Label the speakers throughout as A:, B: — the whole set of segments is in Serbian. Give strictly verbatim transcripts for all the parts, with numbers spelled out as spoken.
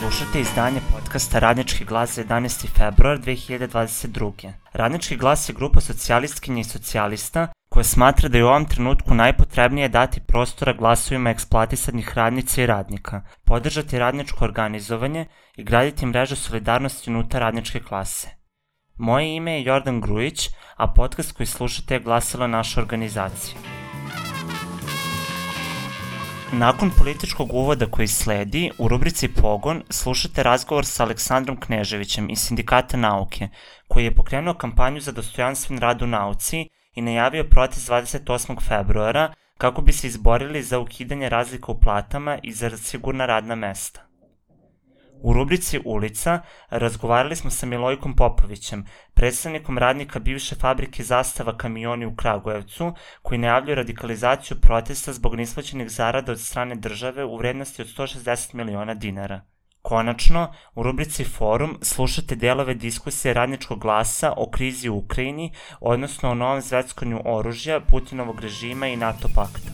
A: Slušate izdanje podcasta Radnički glas za jedanaesti februar dve hiljade dvadeset druge. Radnički glas je grupa socijalistkinja i socijalista koja smatra da je u ovom trenutku najpotrebnije dati prostora glasovima eksploatisanih radnica i radnika, podržati radničko organizovanje i graditi mrežu solidarnosti unutar radničke klase. Moje ime je Jordan Grujić, a podcast koji slušate je glasila naša organizacija. Nakon političkog uvoda koji sledi, u rubrici Pogon slušate razgovor sa Aleksandrom Kneževićem iz Sindikata nauke, koji je pokrenuo kampanju za dostojanstven rad u nauci i najavio protest dvadeset osmog februara kako bi se izborili za ukidanje razlika u platama i za sigurna radna mesta. U rubrici Ulica razgovarali smo sa Milojkom Popovićem, predstavnikom radnika bivše fabrike Zastava kamioni u Kragujevcu, koji najavljuje radikalizaciju protesta zbog neisplaćenih zarada od strane države u vrednosti od sto šezdeset miliona dinara. Konačno, u rubrici Forum slušate delove diskusije Radničkog glasa o krizi u Ukrajini, odnosno o novom zveckanju oružja, Putinovog režima i NATO pakta.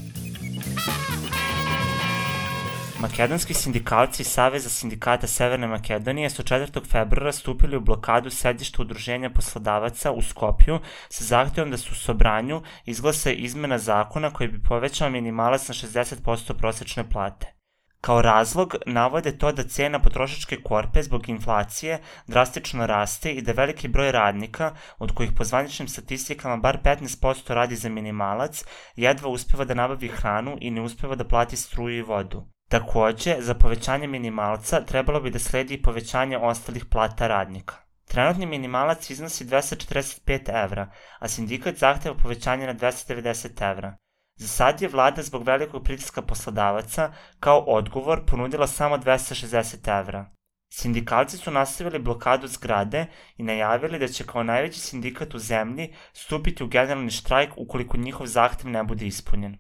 A: Makedonski sindikalci iz Saveza sindikata Severne Makedonije su četvrtog februara stupili u blokadu sedišta udruženja poslodavaca u Skopju sa zahtevom da se u Sobranju izglasa izmena zakona koji bi povećao minimalac na šezdeset posto prosečne plate. Kao razlog navode to da cena potrošačke korpe zbog inflacije drastično raste i da veliki broj radnika, od kojih po zvaničnim statistikama bar petnaest posto radi za minimalac, jedva uspeva da nabavi hranu i ne uspeva da plati struju i vodu. Takođe, za povećanje minimalca trebalo bi da sledi i povećanje ostalih plata radnika. Trenutni minimalac iznosi dvesta četrdeset pet evra, a sindikat zahteva povećanje na dvesta devedeset evra. Za sad je vlada zbog velikog pritiska poslodavaca kao odgovor ponudila samo dvesta šezdeset evra. Sindikalci su nastavili blokadu zgrade i najavili da će kao najveći sindikat u zemlji stupiti u generalni štrajk ukoliko njihov zahtev ne bude ispunjen.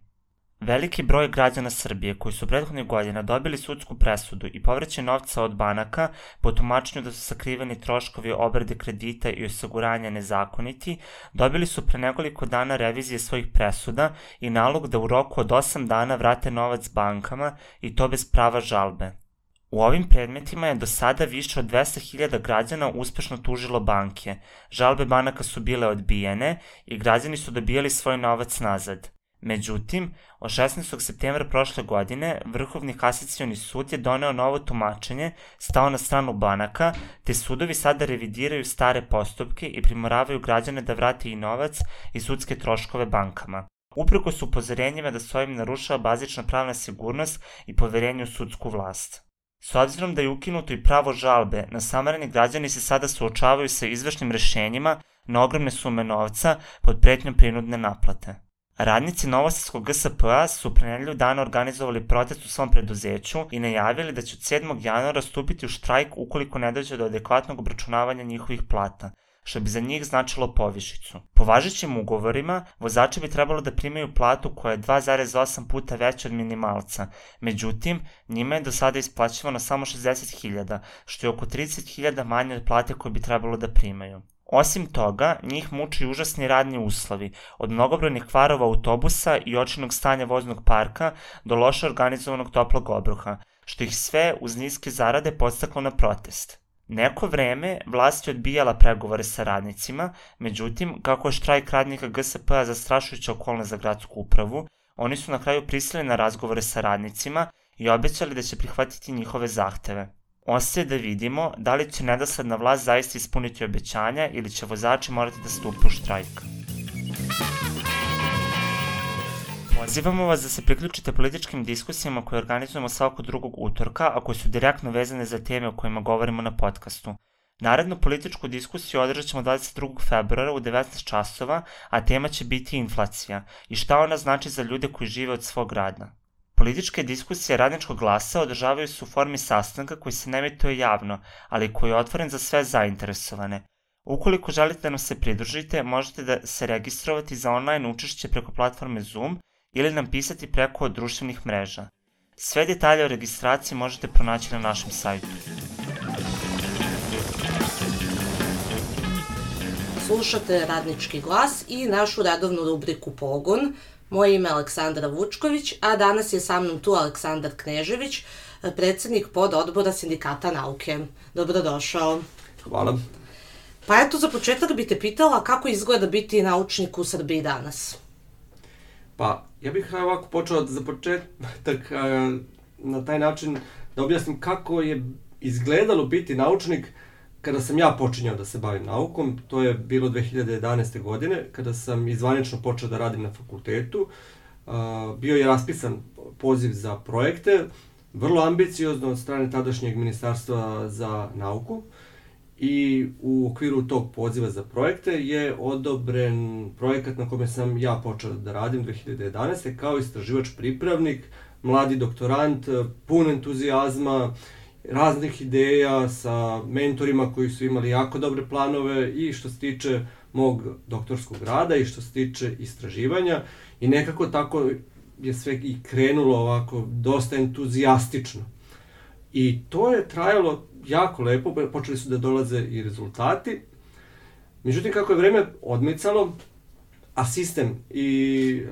A: Veliki broj građana Srbije koji su prethodnih godina dobili sudsku presudu i povraćaj novca od banaka po tumačenju da su sakriveni troškovi obrade kredita i osiguranja nezakoniti, dobili su pre nekoliko dana revizije svojih presuda i nalog da u roku od osam dana vrate novac bankama i to bez prava žalbe. U ovim predmetima je do sada više od dvesta hiljada građana uspešno tužilo banke, žalbe banaka su bile odbijene i građani su dobijali svoj novac nazad. Međutim, od šesnaestog septembra prošle godine Vrhovni kasacioni sud je doneo novo tumačenje, stao na stranu banaka, te sudovi sada revidiraju stare postupke i primoravaju građane da vrate i novac i sudske troškove bankama. Uprkos upozorenjima da se ovim narušava bazična pravna sigurnost i poverenje u sudsku vlast. S obzirom da je ukinuto i pravo žalbe, nasamarani građani se sada suočavaju sa izvršnim rešenjima na ogromne sume novca pod pretnjom prinudne naplate. Radnici Novosadskog G S P-a su pre nedelju dana organizovali protest u svom preduzeću i najavili da će od sedmog januara stupiti u štrajk ukoliko ne dođe do adekvatnog obračunavanja njihovih plata, što bi za njih značilo povišicu. Po važećim ugovorima, vozači bi trebalo da primaju platu koja je dva zarez osam puta veća od minimalca, međutim, njima je do sada isplaćivano samo šezdeset hiljada, što je oko trideset hiljada manje od plate koje bi trebalo da primaju. Osim toga, njih muči užasni radni uslovi, od mnogobrojnih kvarova autobusa i očajnog stanja voznog parka do loše organizovanog toplog obroka, što ih sve uz niske zarade podstaklo na protest. Neko vreme vlast je odbijala pregovore sa radnicima, međutim, kako je štrajk radnika G S P-a zastrašujuća okolnost za gradsku upravu, oni su na kraju pristali na razgovore sa radnicima i obećali da će prihvatiti njihove zahteve. Ostaje da vidimo da li će nedosledna vlast zaista ispuniti obećanja ili će vozači morati da stupe u štrajk. Pozivamo vas da se priključite političkim diskusijama koje organizujemo svakog drugog utorka, a koje su direktno vezane za teme o kojima govorimo na podcastu. Narednu političku diskusiju održat ćemo dvadeset drugog februara u devetnaest časova, a tema će biti inflacija i šta ona znači za ljude koji žive od svog rada. Političke diskusije Radničkog glasa održavaju se u formi sastanka koji se ne emituje javno, ali koji je otvoren za sve zainteresovane. Ukoliko želite da nam se pridružite, možete da se registrovati za online učešće preko platforme Zoom ili nam pisati preko društvenih mreža. Sve detalje o registraciji možete pronaći na našem sajtu.
B: Slušate Radnički glas i našu redovnu rubriku Pogon. Moje ime je Aleksandra Vučković, a danas je sa mnom tu Aleksandar Knežević, predsednik pododbora Sindikata nauke. Dobrodošao.
C: Hvala.
B: Pa eto, za početak bi te pitala kako izgleda biti naučnik u Srbiji danas.
C: Pa, ja bih ovako počeo za početak na taj način da objasnim kako je izgledalo biti naučnik kada sam ja počinjao da se bavim naukom. To je bilo dve hiljade jedanaeste. godine, kada sam izvanično počeo da radim na fakultetu. Bio je raspisan poziv za projekte, vrlo ambiciozno od strane tadašnjeg Ministarstva za nauku. I u okviru tog poziva za projekte je odobren projekat na kome sam ja počeo da radim dve hiljade jedanaeste. kao istraživač pripravnik, mladi doktorant, pun entuzijazma, raznih ideja sa mentorima koji su imali jako dobre planove i što se tiče mog doktorskog rada i što se tiče istraživanja. I nekako tako je sve i krenulo ovako dosta entuzijastično. I to je trajalo jako lepo, počeli su da dolaze i rezultati. Međutim, kako je vreme odmicalo, a sistem i,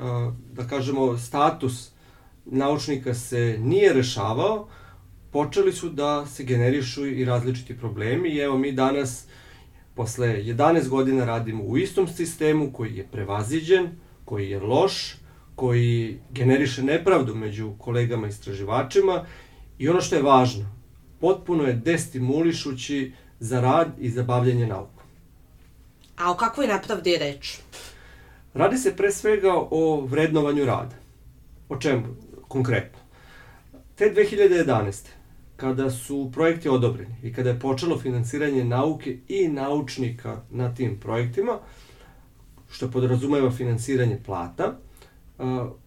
C: da kažemo, status naučnika se nije rešavao, počeli su da se generišu i različiti problemi. I evo mi danas, posle jedanaest godina, radimo u istom sistemu koji je prevaziđen, koji je loš, koji generiše nepravdu među kolegama istraživačima i ono što je važno, potpuno je destimulišući za rad i za bavljanje naukom.
B: A o kakvoj nepravdi je reč?
C: Radi se pre svega o vrednovanju rada. O čemu konkretno? Te dve hiljade jedanaeste. kada su projekti odobreni i kada je počelo finansiranje nauke i naučnika na tim projektima, što podrazumeva finansiranje plata,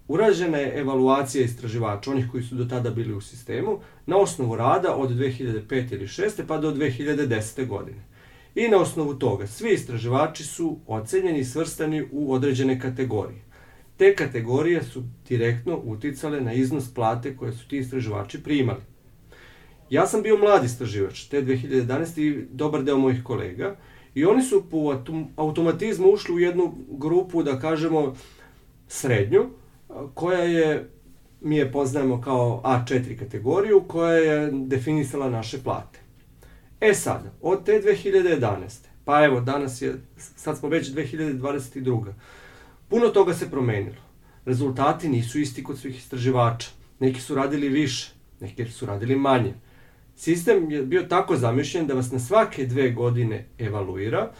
C: urađena je evaluacija istraživača, onih koji su do tada bili u sistemu, na osnovu rada od dve hiljade pete ili šeste pa do dve hiljade desete. godine. I na osnovu toga svi istraživači su ocenjeni i svrstani u određene kategorije. Te kategorije su direktno uticale na iznos plate koje su ti istraživači primali. Ja sam bio mladi istraživač te dve hiljade jedanaeste. i dobar deo mojih kolega i oni su po automatizmu ušli u jednu grupu, da kažemo, srednju, koja je, mi je poznajemo kao A četiri kategoriju, koja je definisala naše plate. E sad, od te dve hiljade jedanaeste. pa evo, danas je, sad smo već dve hiljade dvadeset druga. Puno toga se promenilo. Rezultati nisu isti kod svih istraživača. Neki su radili više, neki su radili manje. Sistem je bio tako zamišljen da vas na svake dve godine evaluira,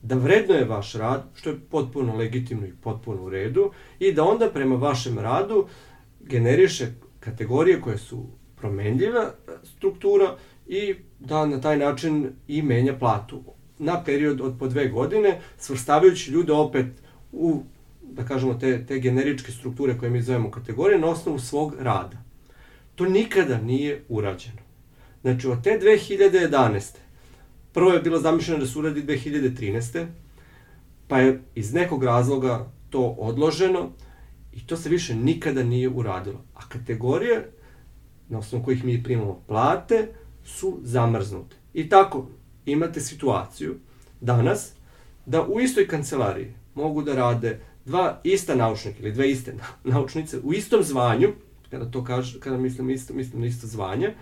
C: da vrednuje vaš rad, što je potpuno legitimno i potpuno u redu, i da onda prema vašem radu generiše kategorije koje su promenljiva struktura i da na taj način i menja platu na period od po dve godine, svrstavajući ljude opet u, da kažemo, te, te generičke strukture koje mi zovemo kategorije na osnovu svog rada. To nikada nije urađeno. Znači, od te dve hiljade jedanaeste. prvo je bilo zamišljeno da se uradi dve hiljade trinaeste. pa je iz nekog razloga to odloženo i to se više nikada nije uradilo. A kategorije na osnovu kojih mi primamo plate su zamrznute. I tako imate situaciju danas da u istoj kancelariji mogu da rade dva ista naučnika ili dve iste naučnice u istom zvanju, kada to kažem, kada mislim isto, mislim na isto zvanje,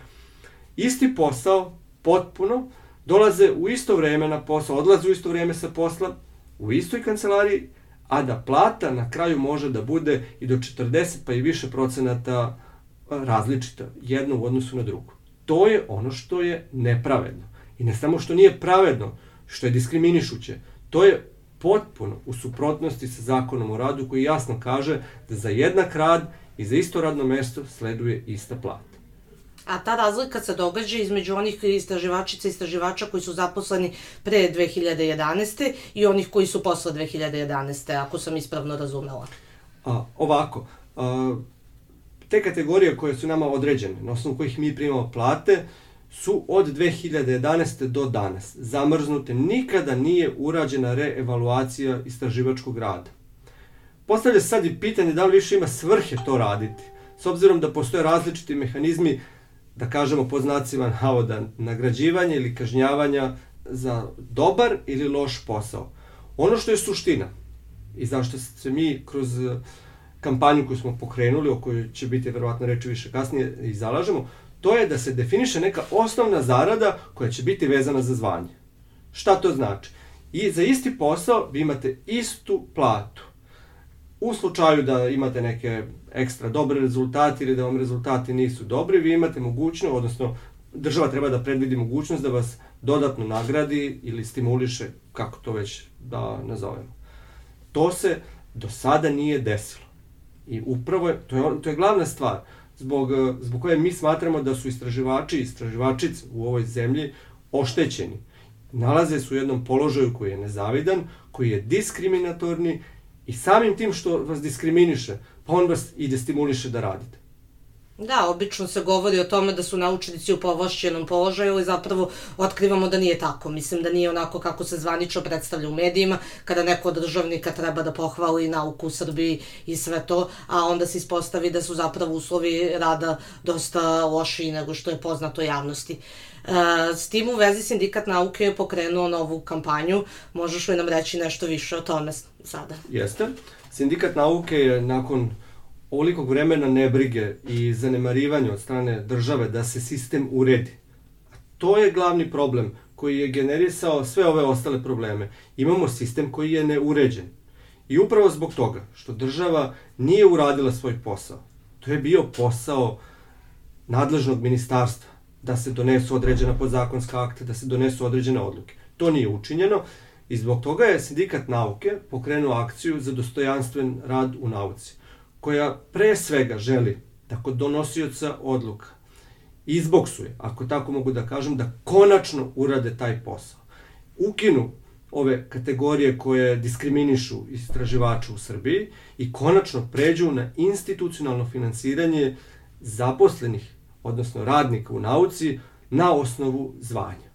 C: isti posao, potpuno, dolaze u isto vreme na posao, odlaze u isto vreme sa posla, u istoj kancelariji, a da plata na kraju može da bude i do četrdeset pa i više procenata različita, jedno u odnosu na drugo. To je ono što je nepravedno. I ne samo što nije pravedno, što je diskriminišuće, to je potpuno u suprotnosti sa zakonom o radu koji jasno kaže da za jednak rad i za isto radno mesto sleduje ista plata.
B: A ta razlika se događa između onih istraživačica i istraživača koji su zaposleni pre dve hiljade jedanaeste. i onih koji su posle dve hiljade jedanaeste. ako sam ispravno razumela.
C: A, ovako, a, te kategorije koje su nama određene, na osnovu kojih mi primamo plate, su od dve hiljade jedanaeste. do danas zamrznute. Nikada nije urađena reevaluacija istraživačkog rada. Postavlja se sad i pitanje da li više ima svrhe to raditi, s obzirom da postoje različiti mehanizmi, da kažemo pod znacima navoda, nagrađivanja ili kažnjavanja za dobar ili loš posao. Ono što je suština i zašto se mi kroz kampanju koju smo pokrenuli, o kojoj će biti verovatno reči više kasnije i zalažemo, to je da se definiše neka osnovna zarada koja će biti vezana za zvanje. Šta to znači? I za isti posao vi imate istu platu. U slučaju da imate neke ekstra dobre rezultate ili da vam rezultati nisu dobri, vi imate mogućnost, odnosno država treba da predvidi mogućnost da vas dodatno nagradi ili stimuliše, kako to već da nazovemo. To se do sada nije desilo. I upravo je, to je, to je glavna stvar, zbog, zbog koje mi smatramo da su istraživači i istraživačice u ovoj zemlji oštećeni. Nalaze se u jednom položaju koji je nezavidan, koji je diskriminatorni i samim tim što vas diskriminiše, pa on vas i destimuliše da radite.
B: Da, obično se govori o tome da su naučnici u povlašćenom položaju, ali zapravo otkrivamo da nije tako. Mislim da nije onako kako se zvanično predstavlja u medijima, kada neko od državnika treba da pohvali nauku u Srbiji i sve to, a onda se ispostavi da su zapravo uslovi rada dosta lošiji nego što je poznato javnosti. S tim u vezi Sindikat nauke je pokrenuo novu kampanju. Možeš li nam reći nešto više o tome sada?
C: Jeste. Sindikat nauke je nakon ovolikog vremena nebrige i zanemarivanja od strane države da se sistem uredi. To je glavni problem koji je generisao sve ove ostale probleme. Imamo sistem koji je neuređen. I upravo zbog toga što država nije uradila svoj posao, to je bio posao nadležnog ministarstva, da se donesu određena podzakonska akta, da se donesu određene odluke. To nije učinjeno i zbog toga je Sindikat nauke pokrenuo akciju za dostojanstven rad u nauci, koja pre svega želi da kod donosioca odluka izboksuje, ako tako mogu da kažem, da konačno urade taj posao. Ukinu ove kategorije koje diskriminišu istraživače u Srbiji i konačno pređu na institucionalno finansiranje zaposlenih, odnosno radnika u nauci, na osnovu zvanja.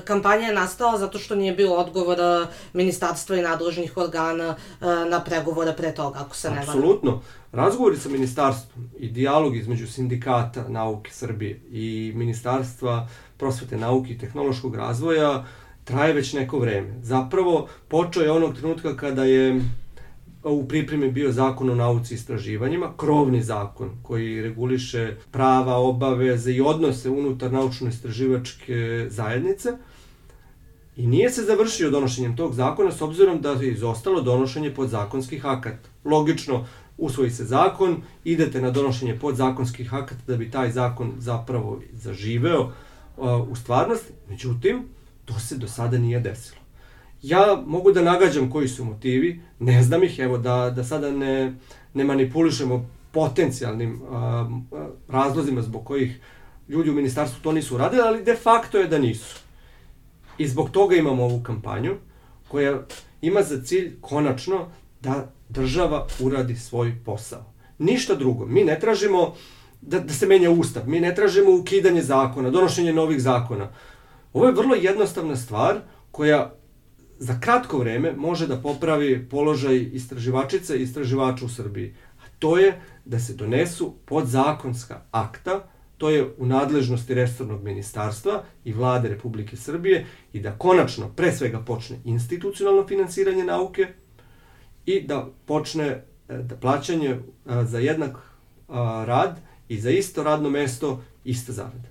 B: Kampanja je nastala zato što nije bilo odgovora ministarstva i nadležnih organa na pregovore pre toga, ako se ne varam.
C: Apsolutno. Razgovori sa ministarstvom i dijalog između Sindikata nauke Srbije i Ministarstva prosvete, nauke i tehnološkog razvoja traje već neko vreme. Zapravo, počeo je onog trenutka kada je u pripremi bio zakon o nauci i istraživanjima, krovni zakon koji reguliše prava, obaveze i odnose unutar naučno-istraživačke zajednice i nije se završio donošenjem tog zakona s obzirom da je izostalo donošenje podzakonskih akata. Logično, usvoji se zakon, idete na donošenje podzakonskih akata da bi taj zakon zapravo zaživeo uh, u stvarnosti, međutim, to se do sada nije desilo. Ja mogu da nagađam koji su motivi, ne znam ih, evo da, da sada ne, ne manipulišemo potencijalnim a, a, razlozima zbog kojih ljudi u ministarstvu to nisu uradili, ali de facto je da nisu. I zbog toga imamo ovu kampanju koja ima za cilj konačno da država uradi svoj posao. Ništa drugo. Mi ne tražimo da, da se menja ustav, mi ne tražimo ukidanje zakona, donošenje novih zakona. Ovo je vrlo jednostavna stvar koja za kratko vreme može da popravi položaj istraživačica i istraživača u Srbiji. A to je da se donesu podzakonska akta, to je u nadležnosti resornog ministarstva i vlade Republike Srbije i da konačno, pre svega, počne institucionalno finansiranje nauke i da počne da plaćanje za jednak rad i za isto radno mesto ista zarada.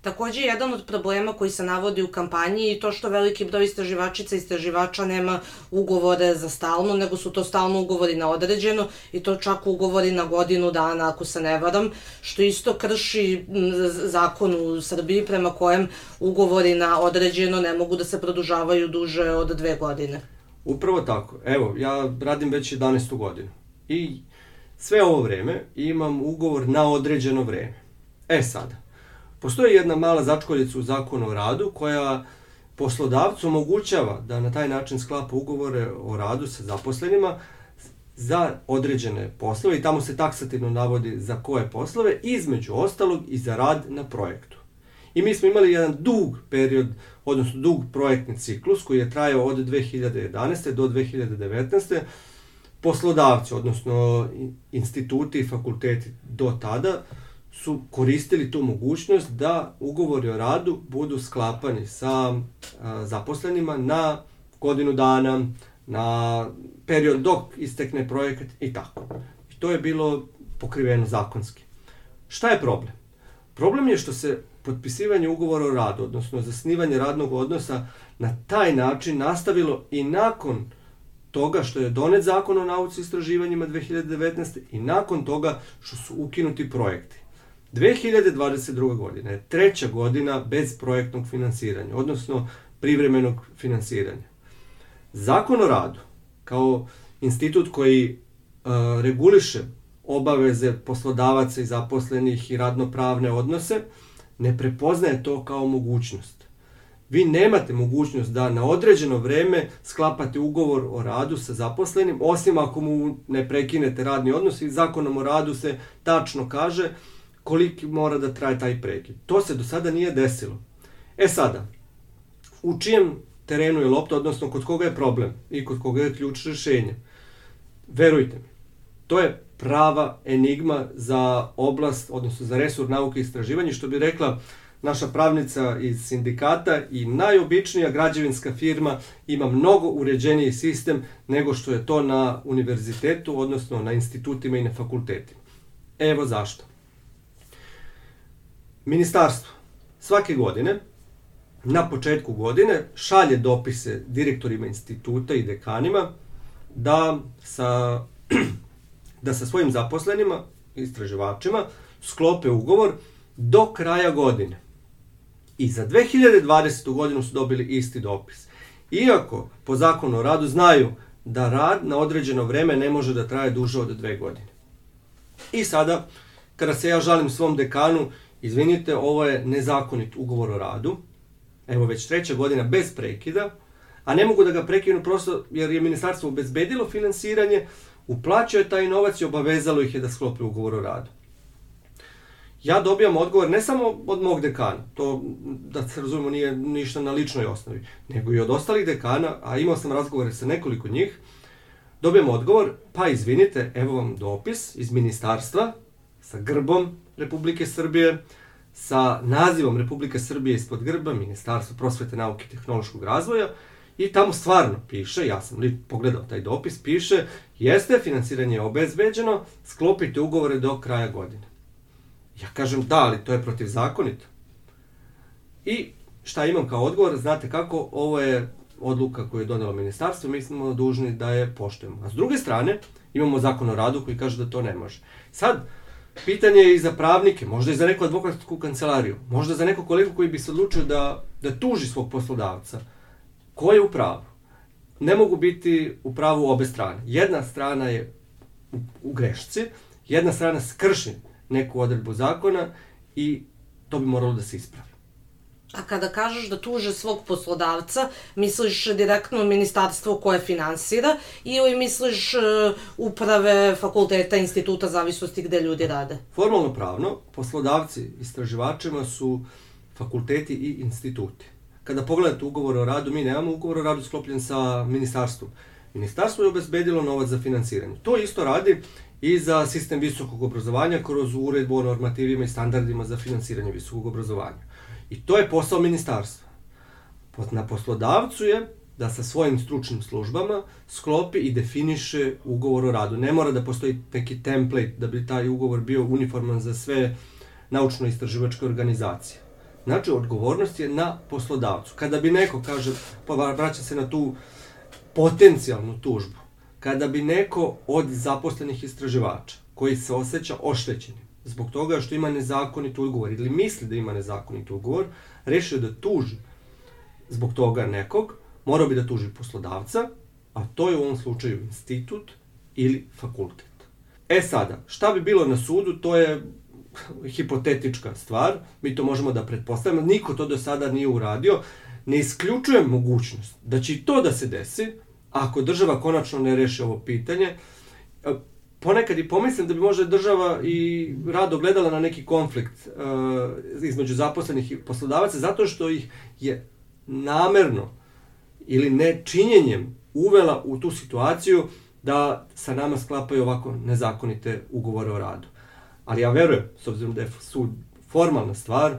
B: Takođe, jedan od problema koji se navodi u kampanji je to što veliki broj istraživačica i istraživača nema ugovore za stalno, nego su to stalno ugovori na određeno i to čak ugovori na godinu dana, ako se ne varam, što isto krši zakon u Srbiji prema kojem ugovori na određeno ne mogu da se produžavaju duže od dve godine.
C: Upravo tako. Evo, ja radim već jedanaestu godinu i sve ovo vreme imam ugovor na određeno vreme. E sada, postoji jedna mala začkoljica u zakonu o radu koja poslodavcu omogućava da na taj način sklapa ugovore o radu sa zaposlenima za određene poslove i tamo se taksativno navodi za koje poslove, između ostalog i za rad na projektu. I mi smo imali jedan dug period, odnosno dug projektni ciklus koji je trajao od dve hiljade jedanaeste. do dve hiljade devetnaeste. Poslodavci, odnosno instituti i fakulteti do tada su koristili tu mogućnost da ugovori o radu budu sklapani sa a, zaposlenima na godinu dana, na period dok istekne projekat i tako. I to je bilo pokriveno zakonski. Šta je problem? Problem je što se potpisivanje ugovora o radu, odnosno zasnivanje radnog odnosa, na taj način nastavilo i nakon toga što je donet zakon o nauci i istraživanjima dve hiljade devetnaeste. i nakon toga što su ukinuti projekti. dve hiljade dvadeset druga. godina je treća godina bez projektnog finansiranja, odnosno privremenog finansiranja. Zakon o radu, kao institut koji uh, reguliše obaveze poslodavaca i zaposlenih i radnopravne odnose, ne prepoznaje to kao mogućnost. Vi nemate mogućnost da na određeno vreme sklapate ugovor o radu sa zaposlenim, osim ako mu ne prekinete radni odnos, i zakonom o radu se tačno kaže koliko mora da traje taj prekid. To se do sada nije desilo. E sada, u čijem terenu je lopta, odnosno kod koga je problem i kod koga je ključ rešenja? Verujte mi, to je prava enigma za oblast, odnosno za resor nauke i istraživanja, što bi rekla naša pravnica iz sindikata, i najobičnija građevinska firma ima mnogo uređeniji sistem nego što je to na univerzitetu, odnosno na institutima i na fakultetima. Evo zašto. Ministarstvo svake godine, na početku godine, šalje dopise direktorima instituta i dekanima da sa, da sa svojim zaposlenima, istraživačima, sklope ugovor do kraja godine. I za dve hiljade dvadesetu. godinu su dobili isti dopis. Iako po zakonu o radu znaju da rad na određeno vreme ne može da traje duže od dve godine. I sada, kada se ja žalim svom dekanu, izvinite, ovo je nezakonit ugovor o radu, evo već treća godina bez prekida, a ne mogu da ga prekinu prosto jer je ministarstvo obezbedilo finansiranje, uplaćuje taj novac i obavezalo ih je da sklope ugovor o radu. Ja dobijam odgovor ne samo od mog dekana, to da se razumemo nije ništa na ličnoj osnovi, nego i od ostalih dekana, a imao sam razgovore sa nekoliko njih, dobijam odgovor, pa izvinite, evo vam dopis iz ministarstva sa grbom Republike Srbije, sa nazivom Republike Srbije ispod grba, Ministarstvo prosvete, nauke i tehnološkog razvoja, i tamo stvarno piše, ja sam li pogledao taj dopis, piše, jeste, finansiranje je obezbeđeno, sklopite ugovore do kraja godine. Ja kažem, da, ali to je protivzakonito. I šta imam kao odgovor, znate kako, ovo je odluka koju je donelo ministarstvo, mi smo dužni da je poštujemo. A s druge strane, imamo zakon o radu koji kaže da to ne može. Sad, pitanje je i za pravnike, možda i za neku advokatsku kancelariju, možda za neko kolegu koji bi se odlučio da, da tuži svog poslodavca. Ko je u pravu? Ne mogu biti u pravu obe strane. Jedna strana je u, u grešci, jedna strana skrši neku odredbu zakona i to bi moralo da se ispravi.
B: A kada kažeš da tuže svog poslodavca, misliš direktno ministarstvo koje finansira ili misliš uh, uprave fakulteta, instituta, zavisnosti gde ljudi rade?
C: Formalno pravno, poslodavci istraživačima su fakulteti i instituti. Kada pogledate ugovor o radu, mi nemamo ugovor o radu sklopljen sa ministarstvom. Ministarstvo je obezbedilo novac za finansiranje. To isto radi i za sistem visokog obrazovanja kroz uredbu o normativima i standardima za finansiranje visokog obrazovanja. I to je posao ministarstva. Na poslodavcu je da sa svojim stručnim službama sklopi i definiše ugovor o radu. Ne mora da postoji neki template da bi taj ugovor bio uniforman za sve naučno-istraživačke organizacije. Znači, odgovornost je na poslodavcu. Kada bi neko, kaže, pa vraća se na tu potencijalnu tužbu, kada bi neko od zaposlenih istraživača koji se osjeća oštećenim zbog toga što ima nezakonit ugovor ili misli da ima nezakonit ugovor, rešio da tuži zbog toga nekog, morao bi da tuži poslodavca, a to je u ovom slučaju institut ili fakultet. E sada, šta bi bilo na sudu, to je hipotetička stvar, mi to možemo da pretpostavimo, niko to do sada nije uradio, ne isključujem mogućnost da će i to da se desi, ako država konačno ne reši ovo pitanje. Ponekad i pomislim da bi možda država i rado gledala na neki konflikt uh, između zaposlenih i poslodavaca, zato što ih je namerno ili nečinjenjem uvela u tu situaciju da sa nama sklapaju ovako nezakonite ugovore o radu. Ali ja verujem, s obzirom da je sud formalna stvar,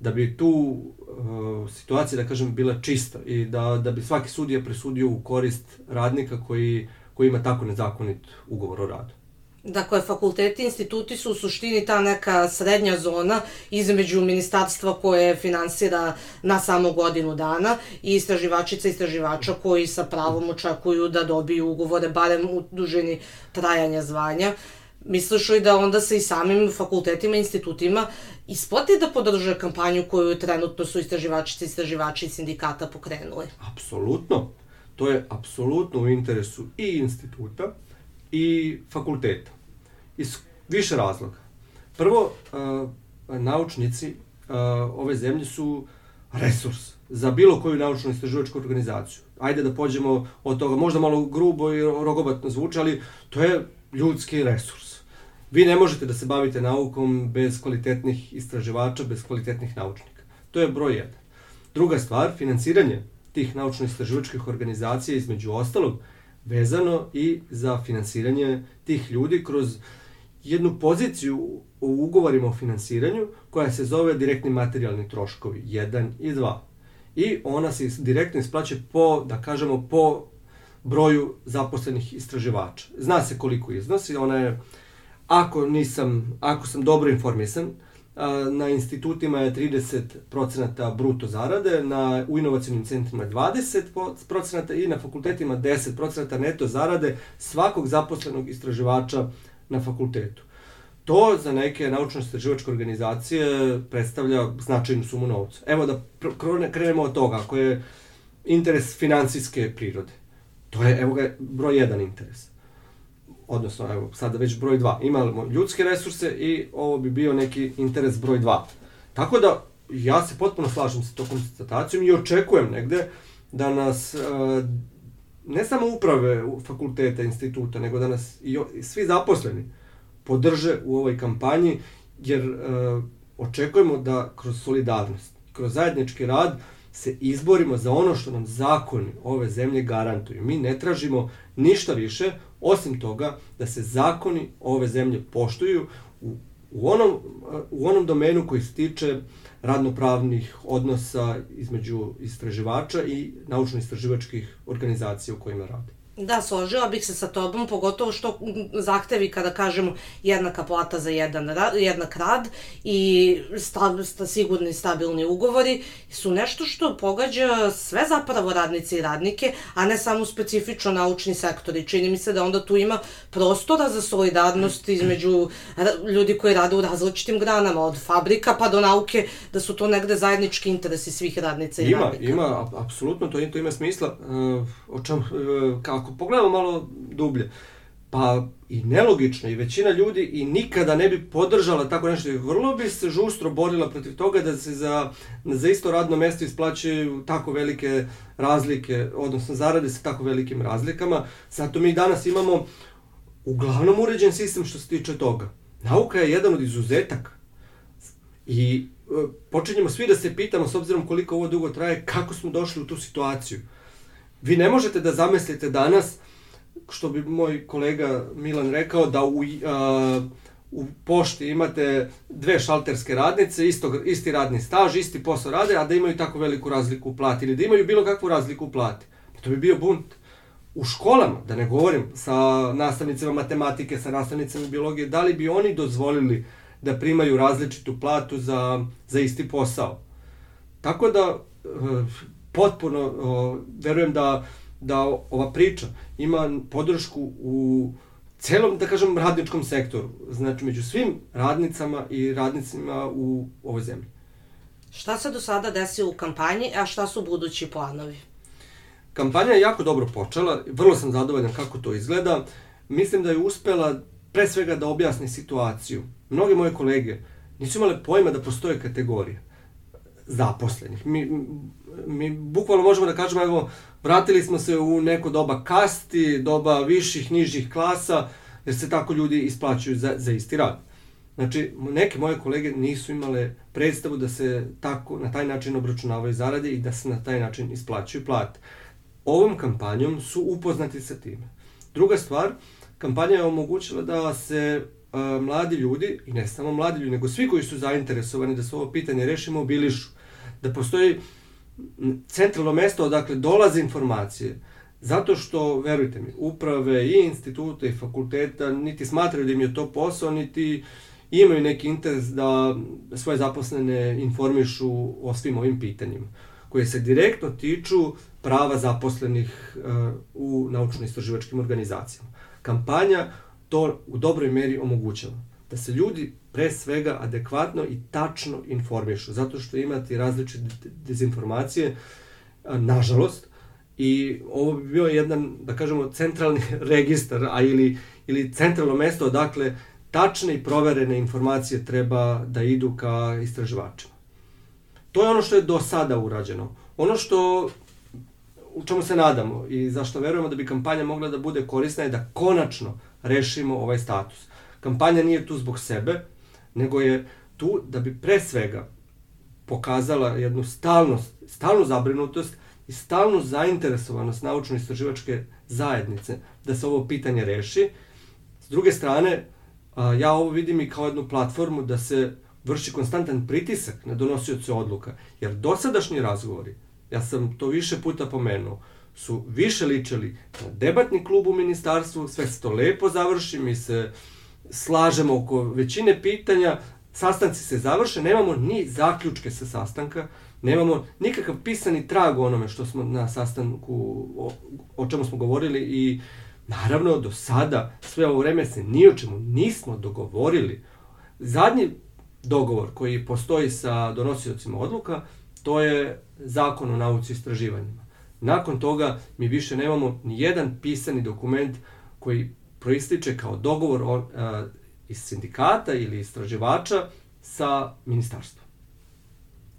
C: da bi tu uh, situacija, da kažem, bila čista i da, da bi svaki sudija presudio u korist radnika koji koji ima tako nezakonit ugovor o radu.
B: Dakle, fakulteti i instituti su u suštini ta neka srednja zona između ministarstva koje finansira na samo godinu dana i istraživačica i istraživača koji sa pravom očekuju da dobiju ugovore barem u dužini trajanja zvanja. Misliš li da onda se i samim fakultetima i institutima isplati da podrže kampanju koju trenutno su istraživačice i istraživači sindikata pokrenuli?
C: Apsolutno. To je apsolutno u interesu i instituta i fakulteta. Iz više razloga. Prvo, naučnici ove zemlje su resurs za bilo koju naučnu istraživačku organizaciju. Ajde da pođemo od toga, možda malo grubo i rogobatno zvuči, ali to je ljudski resurs. Vi ne možete da se bavite naukom bez kvalitetnih istraživača, bez kvalitetnih naučnika. To je broj jedan. Druga stvar, finansiranje tih naučno-istraživačkih organizacija, između ostalog, vezano i za finansiranje tih ljudi kroz jednu poziciju u ugovorima o finansiranju koja se zove direktni materijalni troškovi jedan i dva. I ona se direktno isplaćuje po, da kažemo, po broju zaposlenih istraživača. Zna se koliko iznosi, ona je, ako nisam, ako sam dobro informisan, na institutima je trideset procenata bruto zarade, na, u inovacijnim centrima dvadeset procenata i na fakultetima deset procenata neto zarade svakog zaposlenog istraživača na fakultetu. To za neke naučno-istraživačke organizacije predstavlja značajnu sumu novca. Evo da krenemo od toga, ako je interes finansijske prirode. To je, evo ga, broj jedan interes. Odnosno, evo, sada već broj dva. Imamo ljudske resurse i ovo bi bio neki interes broj dva. Tako da, ja se potpuno slažem sa tom konstatacijom i očekujem negde da nas ne samo uprave fakulteta, instituta, nego da nas i svi zaposleni podrže u ovoj kampanji, jer očekujemo da kroz solidarnost, kroz zajednički rad se izborimo za ono što nam zakoni ove zemlje garantuju. Mi ne tražimo ništa više, osim toga da se zakoni ove zemlje poštuju u, u, onom, u onom domenu koji se tiče radnopravnih odnosa između istraživača i naučno-istraživačkih organizacija u kojima rade.
B: Da, složila bih se sa tobom, pogotovo što zahtevi kada kažemo jednaka plata za jedan rad, jednak rad i sta, sta, sigurni stabilni ugovori su nešto što pogađa sve zapravo radnice i radnike, a ne samo specifično naučni sektor. I čini mi se da onda tu ima prostora za solidarnost između ljudi koji rade u različitim granama, od fabrika pa do nauke, da su to negde zajednički interesi svih radnica i
C: ima,
B: radnika.
C: Ima, ima, apsolutno, to, to ima smisla. Uh, o čem, uh, kako pogledamo malo dublje, pa i nelogično, i većina ljudi i nikada ne bi podržala tako nešto, i vrlo bi se žustro borila protiv toga da se za, za isto radno mesto isplaćuju tako velike razlike, odnosno zarade sa tako velikim razlikama. Zato mi danas imamo uglavnom uređen sistem što se tiče toga. Nauka je jedan od izuzetaka i e, počinjemo svi da se pitamo, s obzirom koliko ovo dugo traje, kako smo došli u tu situaciju. Vi ne možete da zamislite danas, što bi moj kolega Milan rekao, da u, a, u pošti imate dve šalterske radnice, isto, isti radni staž, isti posao rade, a da imaju tako veliku razliku u plati, ili da imaju bilo kakvu razliku u plati. To bi bio bunt. U školama, da ne govorim, sa nastavnicima matematike, sa nastavnicima biologije, da li bi oni dozvolili da primaju različitu platu za, za isti posao? Tako da, potpuno verujem da, da ova priča ima podršku u celom, da kažem, radničkom sektoru. Znači, među svim radnicama i radnicima u ovoj zemlji.
B: Šta se do sada desilo u kampanji, a šta su budući planovi?
C: Kampanja je jako dobro počela, vrlo sam zadovoljan kako to izgleda. Mislim da je uspela pre svega da objasni situaciju. Mnoge moje kolege nisu imale pojma da postoje kategorije zaposlenih. Mi, mi bukvalno možemo da kažemo, evo, vratili smo se u neko doba kasti, doba viših, nižih klasa, jer se tako ljudi isplaćuju za, za isti rad. Znači, neke moje kolege nisu imale predstavu da se tako, na taj način obračunavaju zarade i da se na taj način isplaćuju plate. Ovom kampanjom su upoznati sa time. Druga stvar, kampanja je omogućila da se a, mladi ljudi, i ne samo mladi ljudi, nego svi koji su zainteresovani da se ovo pitanje reši, mobilišu. Da postoji centralno mesto odakle dolaze informacije, Zato što, verujte mi, uprave i instituta i fakulteta niti smatraju da im je to posao, niti imaju neki interes da svoje zaposlene informišu o svim ovim pitanjima, koje se direktno tiču prava zaposlenih uh, u naučno-istraživačkim organizacijama. Kampanja to u dobroj meri omogućava. Da se ljudi pre svega adekvatno i tačno informišu, zato što imate različite dezinformacije, uh, nažalost, i ovo bi bio jedan, da kažemo, centralni registar, a ili, ili centralno mesto odakle tačne i proverene informacije treba da idu ka istraživačima. To je ono što je do sada urađeno. Ono što, u čemu se nadamo i zašto verujemo da bi kampanja mogla da bude korisna je da konačno rešimo ovaj status. Kampanja nije tu zbog sebe, nego je tu da bi pre svega pokazala jednu stalnost, stalnu zabrinutost i stalnu zainteresovanost naučno-istraživačke zajednice da se ovo pitanje reši. S druge strane, ja ovo vidim i kao jednu platformu da se vrši konstantan pritisak na donosioce odluka, jer dosadašnji razgovori, ja sam to više puta pomenuo, su više ličili na debatni klub u ministarstvu, sve se to lepo završi, mi se slažemo oko većine pitanja, sastanci se završe, nemamo ni zaključke sa sastanka, nemamo nikakav pisani trag o onome što smo na sastanku, o, o čemu smo govorili i naravno do sada sve ovo vreme se ni o čemu nismo dogovorili. Zadnji dogovor koji postoji sa donosiocima odluka, to je zakon o nauci i istraživanjima. Nakon toga mi više nemamo ni jedan pisani dokument koji proističe kao dogovor o, a, iz sindikata ili istraživača sa ministarstvom.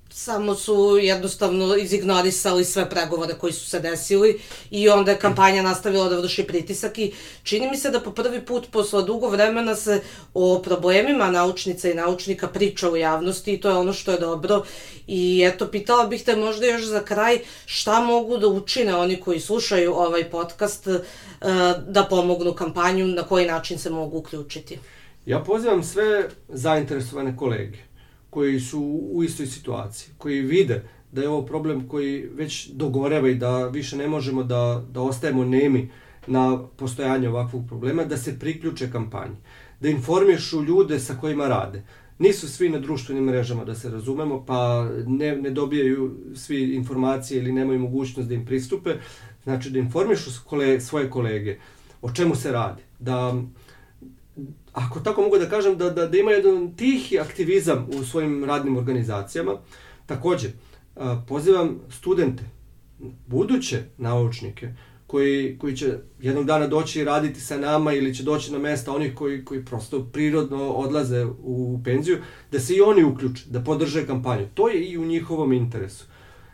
B: Samo su jednostavno izignorisali sve pregovore koji su se desili i onda je kampanja nastavila da vrši pritisak i čini mi se da po prvi put posle dugo vremena se o problemima naučnica i naučnika priča u javnosti i to je ono što je dobro. I eto, pitala bih te možda još za kraj šta mogu da učine oni koji slušaju ovaj podcast da pomognu kampanju, na koji način se mogu uključiti.
C: Ja pozivam sve zainteresovane kolege koji su u istoj situaciji, koji vide da je ovo problem koji već dogoreva i da više ne možemo da, da ostajemo nemi na postojanje ovakvog problema, da se priključe kampanji, da informišu ljude sa kojima rade. Nisu svi na društvenim mrežama, da se razumemo, pa ne, ne dobijaju svi informacije ili nemaju mogućnost da im pristupe. Znači da informišu kole, svoje kolege o čemu se radi, da ako tako mogu da kažem, da, da, da ima jedan tihi aktivizam u svojim radnim organizacijama. Također, pozivam studente, buduće naučnike, koji, koji će jednog dana doći i raditi sa nama ili će doći na mesta onih koji, koji prosto prirodno odlaze u penziju, da se i oni uključe, da podrže kampanju. To je i u njihovom interesu.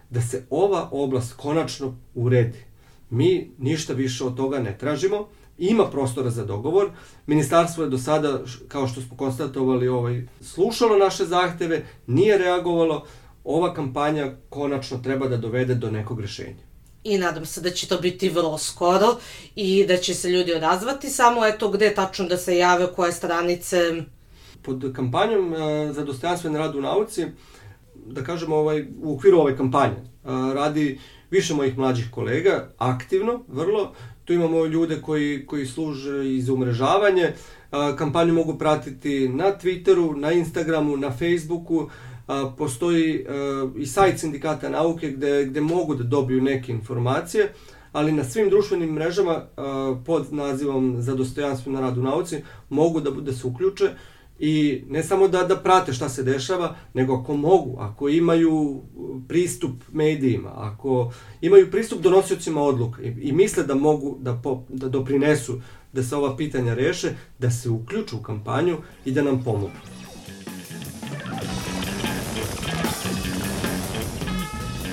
C: Da se ova oblast konačno uredi. Mi ništa više od toga ne tražimo. Ima prostora za dogovor. Ministarstvo je do sada, kao što smo konstatovali, ovaj, slušalo naše zahteve, nije reagovalo. Ova kampanja konačno treba da dovede do nekog rešenja.
B: I nadam se da će to biti vrlo skoro i da će se ljudi odazvati. Samo eto gde tačno da se jave, koje stranice?
C: Pod kampanjom za dostojanstven rad u nauci, da kažemo ovaj, u okviru ove kampanje, radi više mojih mlađih kolega, aktivno, vrlo. Tu imamo ljude koji, koji služe i za umrežavanje. Kampanju mogu pratiti na Twitteru, na Instagramu, na Facebooku. Postoji i sajt Sindikata nauke gde, gde mogu da dobiju neke informacije, ali na svim društvenim mrežama pod nazivom Za dostojanstven rad u nauci mogu da, da se uključe i ne samo da, da prate šta se dešava, nego ako mogu, ako imaju pristup medijima, ako imaju pristup donosiocima odluka i, i misle da mogu da, po, da doprinesu da se ova pitanja reše, da se uključu u kampanju i da nam pomogu.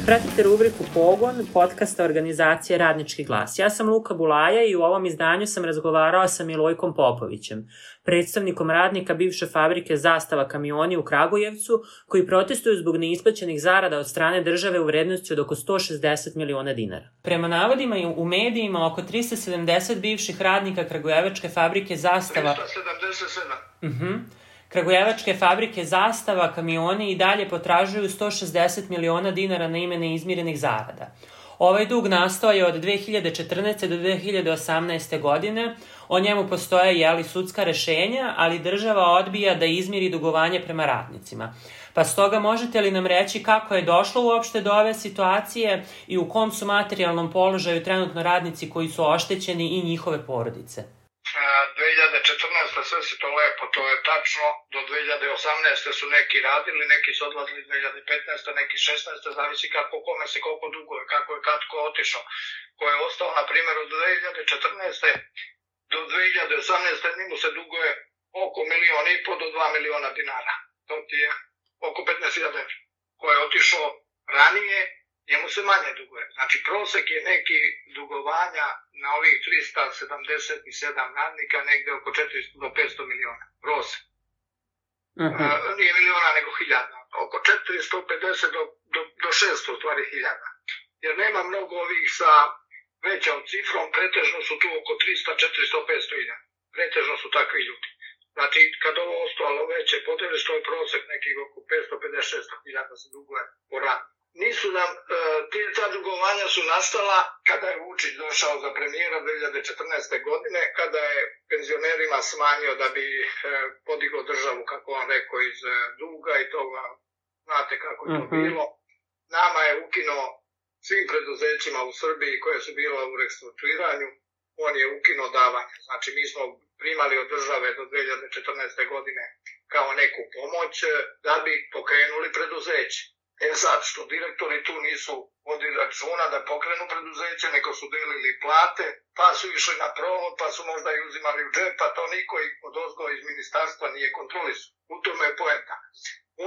D: Pratite rubriku Pogon, podcasta organizacije Radnički glas. Ja sam Luka Bulaja i u ovom izdanju sam razgovarao sa Milojkom Popovićem, predstavnikom radnika bivše fabrike Zastava kamioni u Kragujevcu, koji protestuju zbog neisplaćenih zarada od strane države u vrednosti od oko sto šezdeset miliona dinara. Prema navodima u medijima, oko trista sedamdeset bivših radnika Kragujevačke fabrike Zastava...
E: trista sedamdeset sedam.
D: Mhm. Kragujevačke fabrike Zastava kamioni i dalje potražuju sto šezdeset miliona dinara na ime neizmirenih zarada. Ovaj dug nastao je od dve hiljade četrnaeste. do dve hiljade osamnaeste. godine. O njemu postoje jeli, sudska rešenja, ali država odbija da izmiri dugovanje prema radnicima. Pa stoga možete li nam reći kako je došlo uopšte do ove situacije i u kom su materijalnom položaju trenutno radnici koji su oštećeni i njihove porodice?
E: dve hiljade četrnaeste. sve si to lepo, to je tačno. Do dve hiljade osamnaeste. su neki radili, neki su odlazili dve hiljade petnaeste. neki šesnaeste. zavisi kako kome se koliko duguje, kako je kad ko otišao. Ko je ostao, na primjer, od dve hiljade četrnaeste. do dve hiljade osamnaeste. njemu se duguje oko milion i po do dva miliona dinara. To ti je oko petnaest hiljada evra. Ko je otišao ranije, njemu se manje duguje. Znači, prosek je neki dugovanja na ovih trista sedamdeset sedam radnika negde oko četiristo do petsto miliona. Prosek. Uh-huh. E, nije miliona, nego hiljada. Oko četiristo pedeset do, do, do šesto stvari hiljada. Jer nema mnogo ovih sa većom cifrom, pretežno su tu oko trista, četiristo, petsto hiljada. Pretežno su takvi ljudi. Znači, kad ovo ostalo veće podeliš, to je prosek nekih oko petsto pedeset šest hiljada se duguje po radu. Nisu nam, e, te, ta dugovanja su nastala kada je Vučić došao za premijera dve hiljade četrnaeste. godine, kada je penzionerima smanjio da bi e, podigao državu, kako on rekao, iz e, duga i toga, znate kako je to uh-huh. bilo. Nama je ukinuo svim preduzećima u Srbiji koje su bila u restrukturiranju, on je ukinuo davanje. Znači, mi smo primali od države do dve hiljade četrnaeste. godine kao neku pomoć da bi pokrenuli preduzeće. E sad, što direktori tu nisu vodili računa da pokrenu preduzeće, nego su delili plate, pa su išli na provod, pa su možda i uzimali u džep, pa to niko od ozgo iz ministarstva nije kontrolisao. U tome je poenta.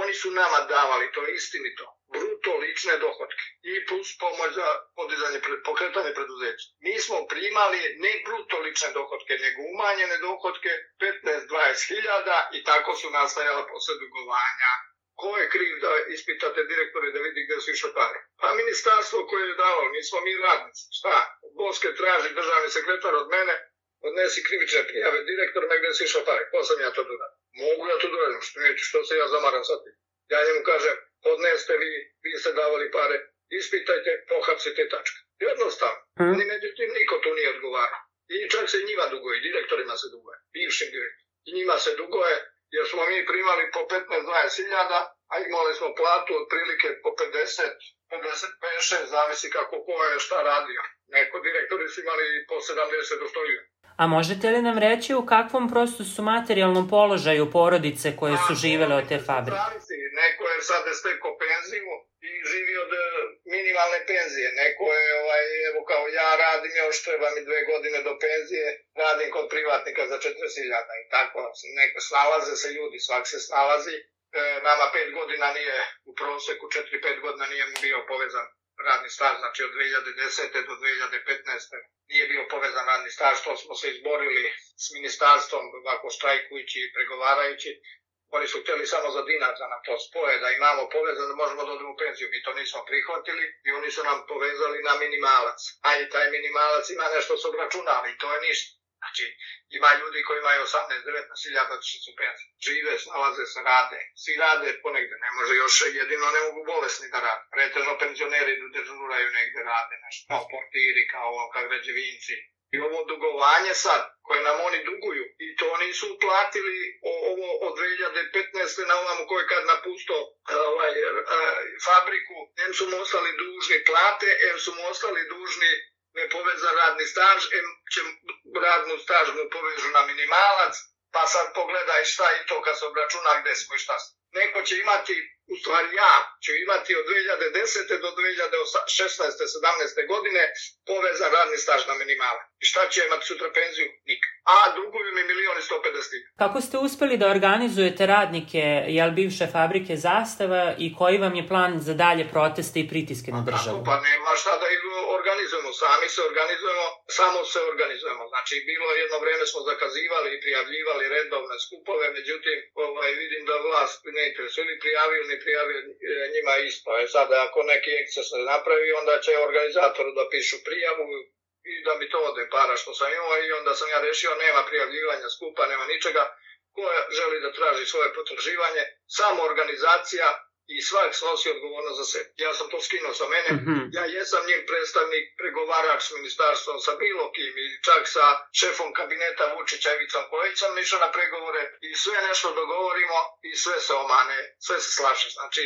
E: Oni su nama davali, to je istinito, bruto lične dohotke i plus pomoć za podizanje, pokretanje preduzeća. Mi smo primali ne bruto lične dohotke, nego umanjene dohotke petnaest do dvadeset hiljada i tako su nastajala posle dugovanja. Ko je kriv da ispitate direktore da vidi gde su išle pare? Pa ministarstvo koje je dalo, nismo mi radnici. Šta? Boske traži državni sekretar od mene, odnesi krivične prijave direktorima gde su išle pare. Ko sam ja to doradim? Mogu ja to doradim, što neću, što se ja zamaram sad. Ja njemu kažem, odneste vi, vi ste davali pare, ispitajte, pohapsite tačka. Jednostavno. Hmm. Ni međutim, niko tu nije odgovarao. I čak se njima duguje, direktorima se duguje, bivšim direktorima. I njima se duguje, jer smo mi primali po petnaest do dvadeset hiljada, a imali smo platu otprilike po pedeset, pedeset, pedeset šest, zavisi kako ko je šta radio. Neko direktori su imali po sedamdeset do sto hiljada.
D: A možete li nam reći u kakvom prosto su materijalnom položaju porodice koje su živele od te fabrike?
E: Neko je sad stekao penziju i živi od minimalne penzije. Neko je, ovaj, evo kao ja radim još, treba mi dve godine do penzije, radim kod privatnika za četrdeset hiljada i tako. Neko, snalaze se ljudi, svak se snalazi. E, nama pet godina nije, u proseku četiri pet godina nije bio povezan radni staž, znači od dve hiljade desete. do dve hiljade petnaeste. nije bio povezan radni staž, to smo se izborili s ministarstvom, ovako štrajkujući i pregovarajući. Oni su htjeli samo za dinar da nam to spoje, da imamo povezan, da možemo da odemo u penziju. Mi to nismo prihvatili i oni su nam povezali na minimalac. A i taj minimalac ima nešto su obračunali i to je ništa. Znači, ima ljudi koji imaju osamnaest do devetnaest hiljada su penzije. Žive, snalaze se, rade. Svi rade ponegde, ne može još jedino ne mogu bolesni da rade. Pretežno penzioneri dežuraju negde rade, nešto kao portiri, kao, kao građevinci. I ovo dugovanje sad, koje nam oni duguju, i to nisu uplatili ovo od dve hiljade petnaeste. na ovom koji kad napusto ovaj, fabriku, em su mu ostali dužni plate, em su mu ostali dužni nepovezan radni staž, em će radnu staž mu povežu na minimalac, pa sad pogledaj šta i to kad se obračuna gde smo i šta smo. Neko će imati, u stvari ja, ću imati od dve hiljade desete. do dve hiljade šesnaeste. sedamnaeste. godine povezan radni staž na minimalac. I šta će imati sutra penziju? Nikad. A duguju mi milion i sto pedeset.
D: Kako ste uspeli da organizujete radnike, jel, bivše fabrike Zastava i koji vam je plan za dalje proteste i pritiske na državu?
E: Pa nema šta da ih organizujemo, sami se organizujemo, samo se organizujemo. Znači, bilo jedno vreme smo zakazivali i prijavljivali redovne skupove, međutim, ovaj, vidim da vlast ne interesuje, ili prijavio, ne prijavio njima isto. E sad, ako neki eksces ne napravi, onda će organizatoru da pišu prijavu i da mi to ode para što sam imao i onda sam ja rešio, nema prijavljivanja skupa, nema ničega. Ko želi da traži svoje potraživanje, samo organizacija i svak snosi odgovornost za sebe. Ja sam to skinuo sa mene, mm-hmm. ja jesam njen predstavnik, pregovarač s ministarstvom, sa bilo kim i čak sa šefom kabineta Vučića Ivicom Kojićem išao na pregovore i sve nešto dogovorimo i sve se omane, sve se slaže. Znači,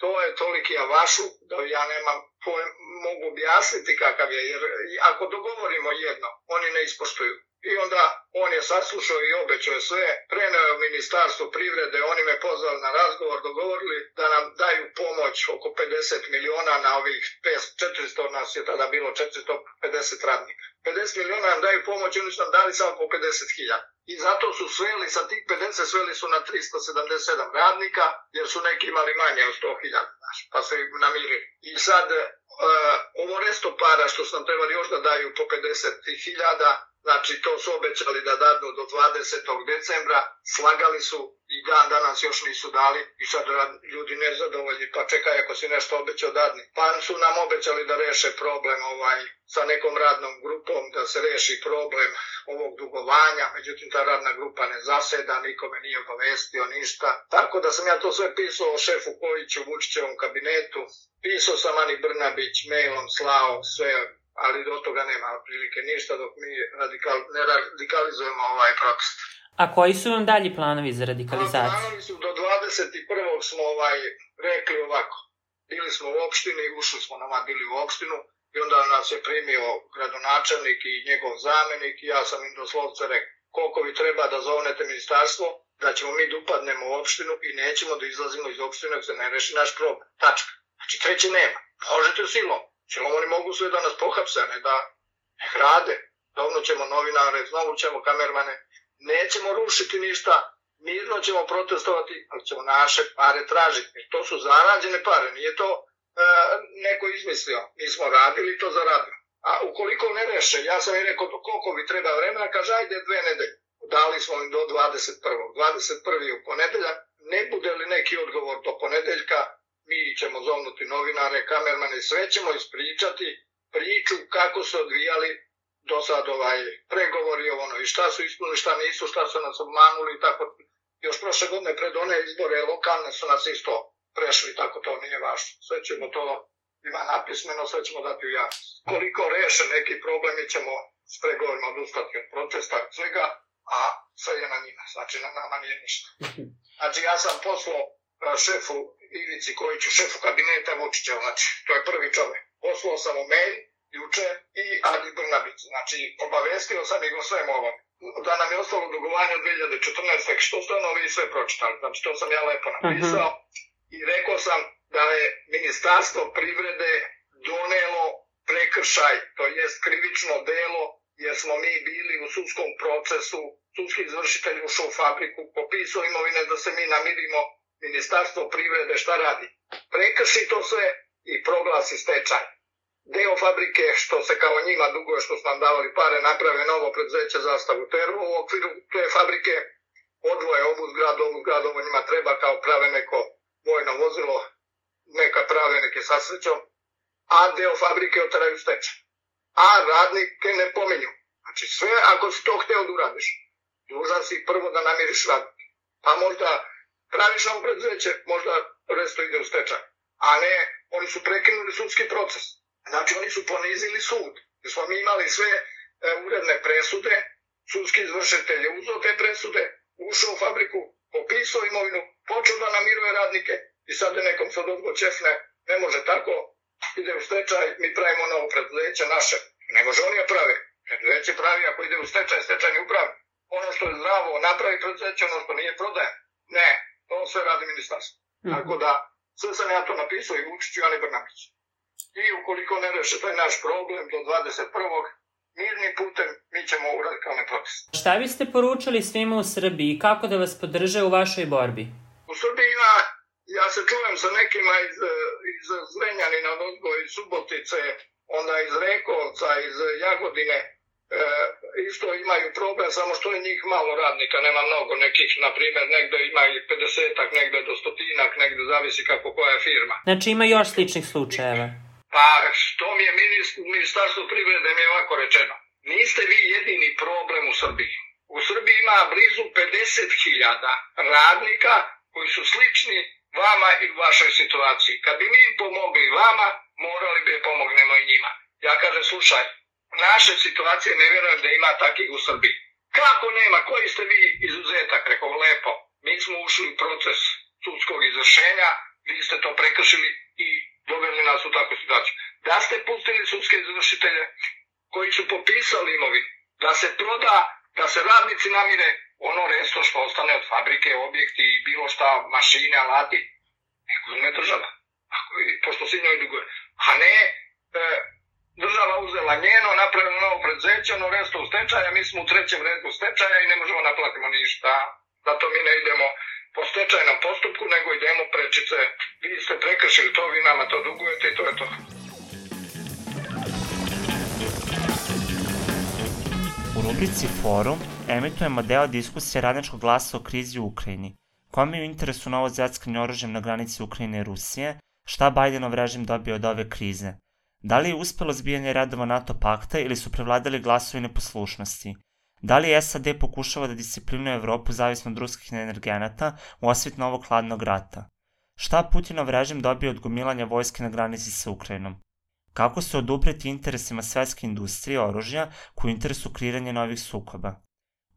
E: to je toliki avašu da ja nemam pojem, mogu objasniti kakav je, jer ako dogovorimo jedno, oni ne ispoštuju. I onda on je saslušao i obećao sve, preneo je ministarstvo privrede, oni me pozvali na razgovor, dogovorili da nam daju pomoć oko pedeset miliona na ovih četiristo, nas je tada bilo četiristo pedeset radnika. pedeset miliona nam daju pomoć, oni su nam dali samo po pedeset hiljada. I zato su sveli, sa tih pedeset sveli su na tristo sedamdeset sedam radnika, jer su neki imali manje od sto hiljada, pa su ih namirili. I sad, uh, ovo resto para što su nam trebali još da daju po pedeset hiljada, znači to su obećali da dadnu do dvadesetog decembra, slagali su i dan danas još nisu dali i sad ljudi nezadovoljni, pa čekaj ako si nešto obećao dadni. Pa su nam obećali da reše problem ovaj, sa nekom radnom grupom, da se reši problem ovog dugovanja, međutim ta radna grupa ne zaseda, nikome nije obavestio ništa. Tako da sam ja to sve pisao o šefu Kojiću, Vučićevom kabinetu, pisao sam Ani Brnabić, mailom slao sve, ali do toga nema prilike ništa dok mi radikal, ne radikalizujemo ovaj protest.
D: A koji su vam dalji planovi za radikalizaciju?
E: Planovi su do dvadeset prvog smo ovaj, rekli ovako. Bili smo u opštini, ušli smo nama bili u opštinu i onda nas je primio gradonačelnik i njegov zamenik i ja sam im doslovce rekao koliko vi treba da zovnete ministarstvo, da ćemo mi da upadnemo u opštinu i nećemo da izlazimo iz opštine ako se ne reši naš problem. Tačka. Znači treće nema. Možete silom. Silom oni mogu sve da nas pohapse, ne da ne rade. Dovno ćemo novinare, znovu ćemo kamermane. Nećemo rušiti ništa, mirno ćemo protestovati, ali ćemo naše pare tražiti. Jer to su zarađene pare, nije to e, neko izmislio. Mi smo radili to zaradili. A ukoliko ne reše, ja sam im rekao koliko vi treba vremena, kaže ajde dve nedelje. Dali smo im do dvadeset prvog dvadeset prvog u ponedeljak, ne bude li neki odgovor do ponedeljka, mi ćemo zovnuti novinare, kamermane, sve ćemo ispričati priču kako su odvijali do sad ovaj pregovori ono i šta su ispunili, šta nisu, šta su nas obmanuli i tako. Još prošle godine pred one izbore lokalne su nas isto prešli, tako to nije važno. Sve ćemo to, ima napismeno, sve ćemo dati u javnost. Koliko reše neki problemi ćemo s pregovorima odustati od protesta, svega, a sve je na njima, znači na nama nije ništa. Znači ja sam poslao šefu Ivici Kojiću, šefu kabineta Vučića, znači to je prvi čovjek. Poslao sam mu mail juče i Ani Brnabić, znači obavestio sam ih o svem ovom. Da nam je ostalo dugovanje od dve hiljade četrnaeste. Što ste ono vi sve pročitali, znači to sam ja lepo napisao. Uh-huh. I rekao sam da je Ministarstvo privrede donelo prekršaj, to jest krivično delo, jer smo mi bili u sudskom procesu, sudski izvršitelj ušao u fabriku, popisao imovine da se mi namirimo. Ministarstvo privrede šta radi? Prekrši to sve i proglasi stečaj. Deo fabrike što se kao njima duguje što su nam davali pare naprave novo preduzeće Zastavu Tervo u okviru te fabrike odvoje ovu zgradu, ovu zgradu, ovo njima treba kao prave neko vojno vozilo, neka prave neke sasrećom, a deo fabrike otaraju stečaj. A radnike ne pominju. Znači sve ako si to hteo da uradiš, dužan si prvo da namiriš radnike. Pa možda praviš novo preduzeće, možda resto ide u stečaj. A ne, oni su prekinuli sudski proces. Znači oni su ponizili sud. Jer smo mi imali sve e, uredne presude, sudski izvršitelj je uzeo te presude, ušao u fabriku, popisao imovinu, počeo da namiruje radnike i sad je nekom sad odgo čefne, ne može tako, ide u stečaj, mi pravimo novo preduzeće naše. Ne može oni je pravi. Preduzeće pravi ako ide u stečaj, stečajni upravi. Ono što je zdravo napravi preduzeće, ono što nije prodaje. Ne, to sve radi ministarstvo. Mm-hmm. Tako da, sve sam ja to napisao i Vučiću i Ani Brnabić. I ukoliko ne reše taj naš problem do dvadeset prvog mirnim putem, mi ćemo u radikalne proteste.
D: Šta biste poručili svima u Srbiji? Kako da vas podrže u vašoj borbi?
E: U Srbiji ima, ja se čujem sa nekima iz, iz Zrenjanina, iz Subotice, onda iz Rekovca, iz Jagodine, E, isto imaju problem, samo što je njih malo radnika, nema mnogo nekih, na primjer, negde ima i pedesetak, negde do stotinak, negde zavisi kako koja je firma.
D: Znači ima još sličnih slučajeva?
E: Pa što mi je ministar, ministarstvo privrede mi je ovako rečeno, niste vi jedini problem u Srbiji. U Srbiji ima blizu pedeset hiljada radnika koji su slični vama i u vašoj situaciji. Kad bi mi pomogli vama, morali bi da pomognemo i njima. Ja kažem, slušaj, naše situacije ne vjerujem da ima takvih u Srbiji. Kako nema? Koji ste vi izuzetak? Rekao, lepo. Mi smo ušli u proces sudskog izvršenja, vi ste to prekršili i doveli nas u takvu situaciju. Da ste pustili sudske izvršitelje koji su popisali imovinu, da se proda, da se radnici namire ono resto što ostane od fabrike, objekti i bilo šta, mašine, alati, neko uzme država, ako, pošto si njoj duguje. A ne, e, država uzela njeno, napravila novo preduzeće, ono resto u stečaja, mi smo u trećem redu stečaja i ne možemo naplatimo ništa. Zato mi ne idemo po stečajnom postupku, nego idemo prečice. Vi ste prekršili to, vi nama to dugujete i to je to.
A: U rubrici Forum emitujemo deo diskusije Radničkog glasa o krizi u Ukrajini. Kome je u interesu novo zveckanje oružjem na granici Ukrajine i Rusije? Šta Bajdenov režim dobio od ove krize? Da li je uspelo zbijanje redova NATO pakta ili su prevladali glasovi neposlušnosti? Da li S A D pokušava da disciplinuje Evropu zavisno od ruskih energenata u osvit novog hladnog rata? Šta Putinov režim dobio od gomilanja vojske na granici sa Ukrajinom? Kako se odupreti interesima svetske industrije oružja koji interesu kreiranje novih sukoba?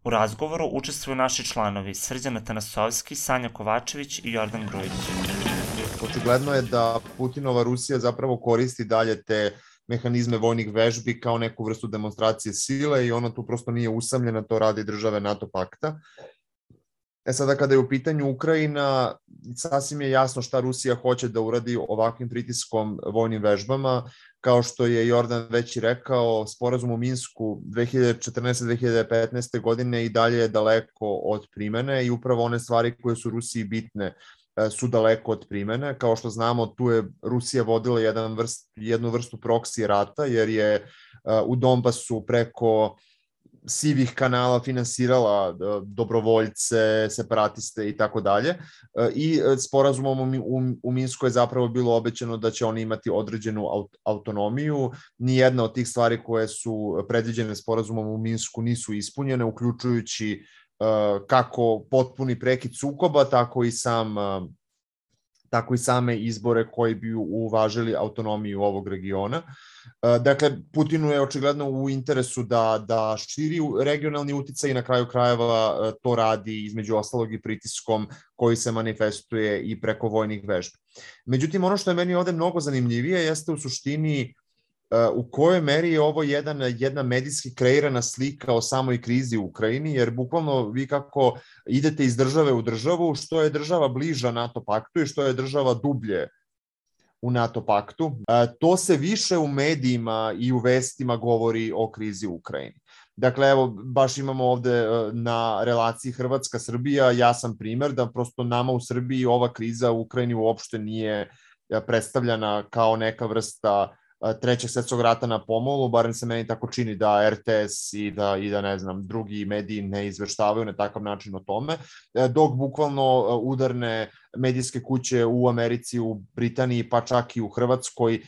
A: U razgovoru učestvuju naši članovi Srđan Atanasovski, Sanja Kovačević i Jordan Grujić.
F: Očigledno je da Putinova Rusija zapravo koristi dalje te mehanizme vojnih vežbi kao neku vrstu demonstracije sile i ona tu prosto nije usamljena, to radi države NATO pakta. E sada kada je u pitanju Ukrajina, sasvim je jasno šta Rusija hoće da uradi ovakvim pritiskom vojnim vežbama. Kao što je Jordan već i rekao, sporazum u Minsku dve hiljade četrnaeste do dve hiljade petnaeste. godine i dalje je daleko od primene i upravo one stvari koje su Rusiji bitne su daleko od primene. Kao što znamo, tu je Rusija vodila jedan vrst, jednu vrstu proksi rata, jer je u Donbasu preko sivih kanala finansirala dobrovoljce, separatiste i tako dalje. I sporazumom u Minsku je zapravo bilo obećano da će oni imati određenu autonomiju. Nijedna od tih stvari koje su predviđene sporazumom u Minsku nisu ispunjene, uključujući kako potpuni prekid sukoba, tako i sam tako i same izbore koji bi uvažili autonomiju ovog regiona. Dakle, Putinu je očigledno u interesu da, da širi regionalni uticaj i na kraju krajeva to radi između ostalog i pritiskom koji se manifestuje i preko vojnih vežbi. Međutim, ono što je meni ovde mnogo zanimljivije jeste u suštini u kojoj meri je ovo jedan, jedna medijski kreirana slika o samoj krizi u Ukrajini, jer bukvalno vi kako idete iz države u državu, što je država bliža NATO paktu i što je država dublje u NATO paktu, to se više u medijima i u vestima govori o krizi u Ukrajini. Dakle, evo, baš imamo ovde na relaciji Hrvatska-Srbija jasan primer da prosto nama u Srbiji ova kriza u Ukrajini uopšte nije predstavljena kao neka vrsta trećeg svetskog rata na pomolu, barem se meni tako čini da R T S i da, i da ne znam, drugi mediji ne izveštavaju na takav način o tome, dok bukvalno udarne medijske kuće u Americi, u Britaniji, pa čak i u Hrvatskoj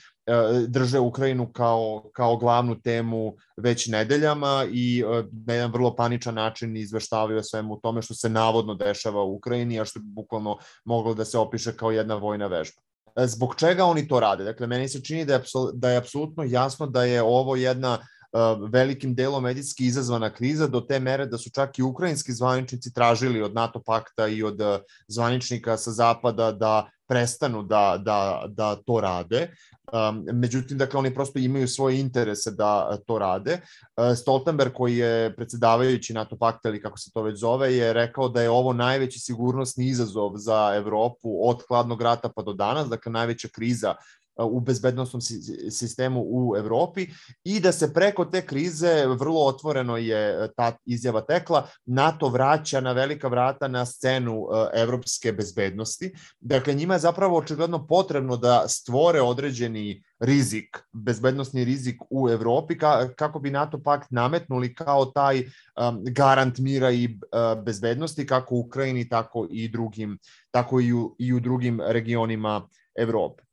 F: drže Ukrajinu kao, kao glavnu temu već nedeljama i na jedan vrlo paničan način izveštavaju o svemu tome što se navodno dešava u Ukrajini, a što bi bukvalno moglo da se opiše kao jedna vojna vežba. Zbog čega oni to rade? Dakle, meni se čini da je, da je apsolutno jasno da je ovo jedna uh, velikim delom medijski izazvana kriza do te mere da su čak i ukrajinski zvaničnici tražili od NATO pakta i od uh, zvaničnika sa zapada da prestanu da, da, da to rade. Um, međutim, dakle, oni prosto imaju svoje interese da to rade. Uh, Stoltenberg, koji je predsedavajući NATO pakta, ili kako se to već zove, je rekao da je ovo najveći sigurnosni izazov za Evropu od hladnog rata pa do danas, dakle, najveća kriza u bezbednosnom sistemu u Evropi i da se preko te krize, vrlo otvoreno je ta izjava tekla, NATO vraća na velika vrata na scenu evropske bezbednosti. Dakle, njima je zapravo očigledno potrebno da stvore određeni rizik, bezbednosni rizik u Evropi kako bi NATO pakt nametnuli kao taj garant mira i bezbednosti kako u Ukrajini, tako i drugim, tako i u, i u drugim regionima Evrope.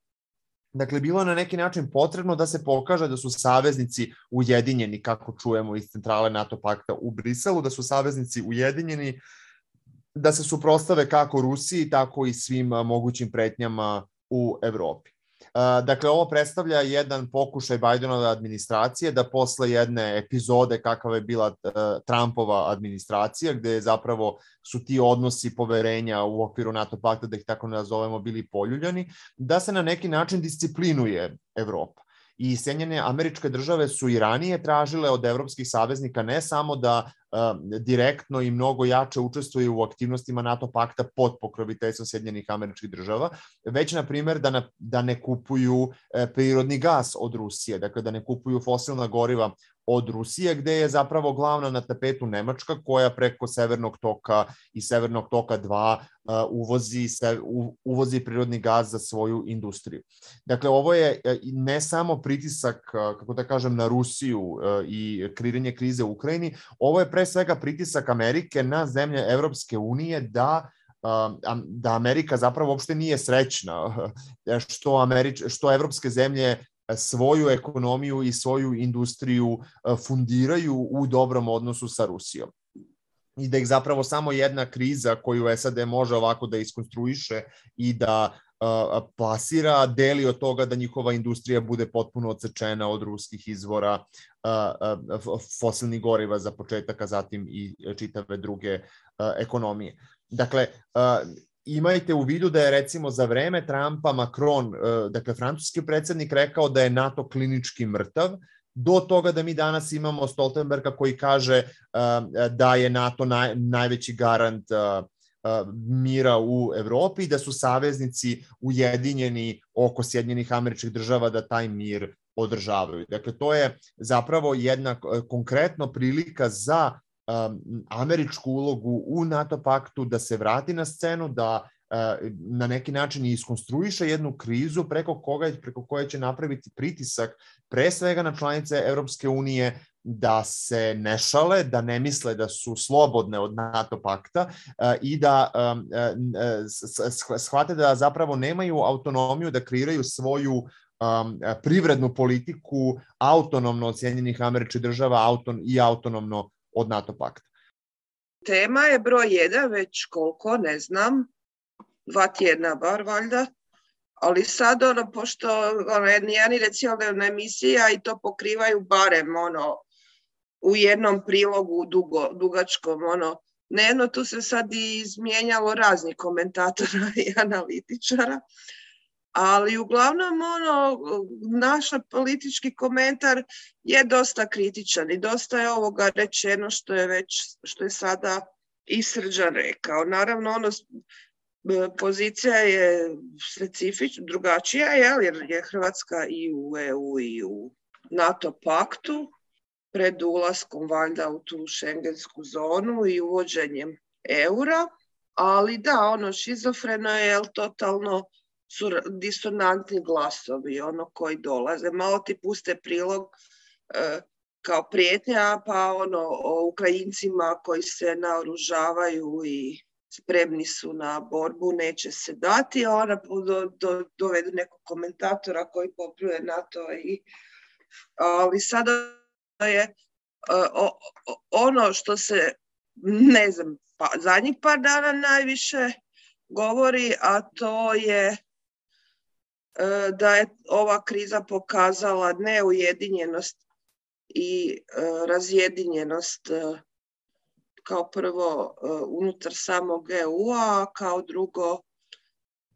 F: Dakle, bilo je na neki način potrebno da se pokaže da su saveznici ujedinjeni, kako čujemo iz centrale NATO pakta u Briselu, da su saveznici ujedinjeni da se suprotstave kako Rusiji, tako i svim mogućim pretnjama u Evropi. Dakle, ovo predstavlja jedan pokušaj Bidenove administracije da posle jedne epizode kakva je bila Trumpova administracija, gde zapravo su ti odnosi poverenja u okviru NATO pakta, da ih tako nazovemo, bili poljuljani, da se na neki način disciplinuje Evropa. I Sjedinjene Američke Države su i ranije tražile od evropskih saveznika ne samo da direktno i mnogo jače učestvuju u aktivnostima NATO pakta pod pokroviteljstvom Sjedinjenih Američkih Država, već, na primjer, da, na, da ne kupuju prirodni gas od Rusije, dakle da ne kupuju fosilna goriva od Rusije, gde je zapravo glavna na tapetu Nemačka, koja preko Severnog toka i Severnog toka dva uvozi, se, uvozi prirodni gas za svoju industriju. Dakle, ovo je ne samo pritisak, kako da kažem, na Rusiju i kreiranje krize u Ukrajini, ovo je pre svega pritisak Amerike na zemlje Evropske unije da da Amerika zapravo uopšte nije srećna što, Američ, što evropske zemlje svoju ekonomiju i svoju industriju fundiraju u dobrom odnosu sa Rusijom. I da ih zapravo samo jedna kriza koju S A D može ovako da iskonstruiše i da plasira, deli od toga da njihova industrija bude potpuno odsečena od ruskih izvora fosilnih goriva za početak, a zatim i čitave druge ekonomije. Dakle, imajte u vidu da je recimo za vreme Trumpa Macron, dakle francuski predsjednik, rekao da je NATO klinički mrtav, do toga da mi danas imamo Stoltenberga koji kaže da je NATO naj, najveći garant mira u Evropi i da su saveznici ujedinjeni oko Sjedinjenih Američkih Država da taj mir održavaju. Dakle, to je zapravo jedna konkretno prilika za američku ulogu u NATO paktu da se vrati na scenu, da na neki način iskonstruiše jednu krizu preko koga, preko koje će napraviti pritisak pre svega na članice Evropske unije da se ne šale, da ne misle da su slobodne od NATO pakta i da shvate da zapravo nemaju autonomiju da kreiraju svoju privrednu politiku autonomno od Sjedinjenih Američkih Država i autonomno od NATO pakta.
G: Tema je broj jedan, već koliko, ne znam, dva tjedna bar valjda, ali sad ono, pošto ono, jedni nacionalna emisija i to pokrivaju barem ono, u jednom prilogu dugo, dugačkom, ono, dnevno, tu se sad i izmijenjalo raznih komentatora i analitičara, ali uglavnom ono, naš politički komentar je dosta kritičan i dosta je ovoga rečeno što je već, što je sada i Srđan rekao. Naravno, ono, pozicija je specifična, drugačija, jer je Hrvatska i u E U i u NATO paktu pred ulaskom valjda u tu šengensku zonu i uvođenjem eura, ali da, ono, šizofreno je, jel, totalno su disonantni glasovi, ono, koji dolaze. Malo ti puste prilog e, kao prijetnja, pa ono, o Ukrajincima koji se naoružavaju i spremni su na borbu, neće se dati, a ona do, do, dovedu nekog komentatora koji popljuje NATO. I, ali sada je o, o, ono što se, ne znam, pa, zadnjih par dana najviše govori, a to je da je ova kriza pokazala neujedinjenost i razjedinjenost kao prvo unutar samog E U-a, kao drugo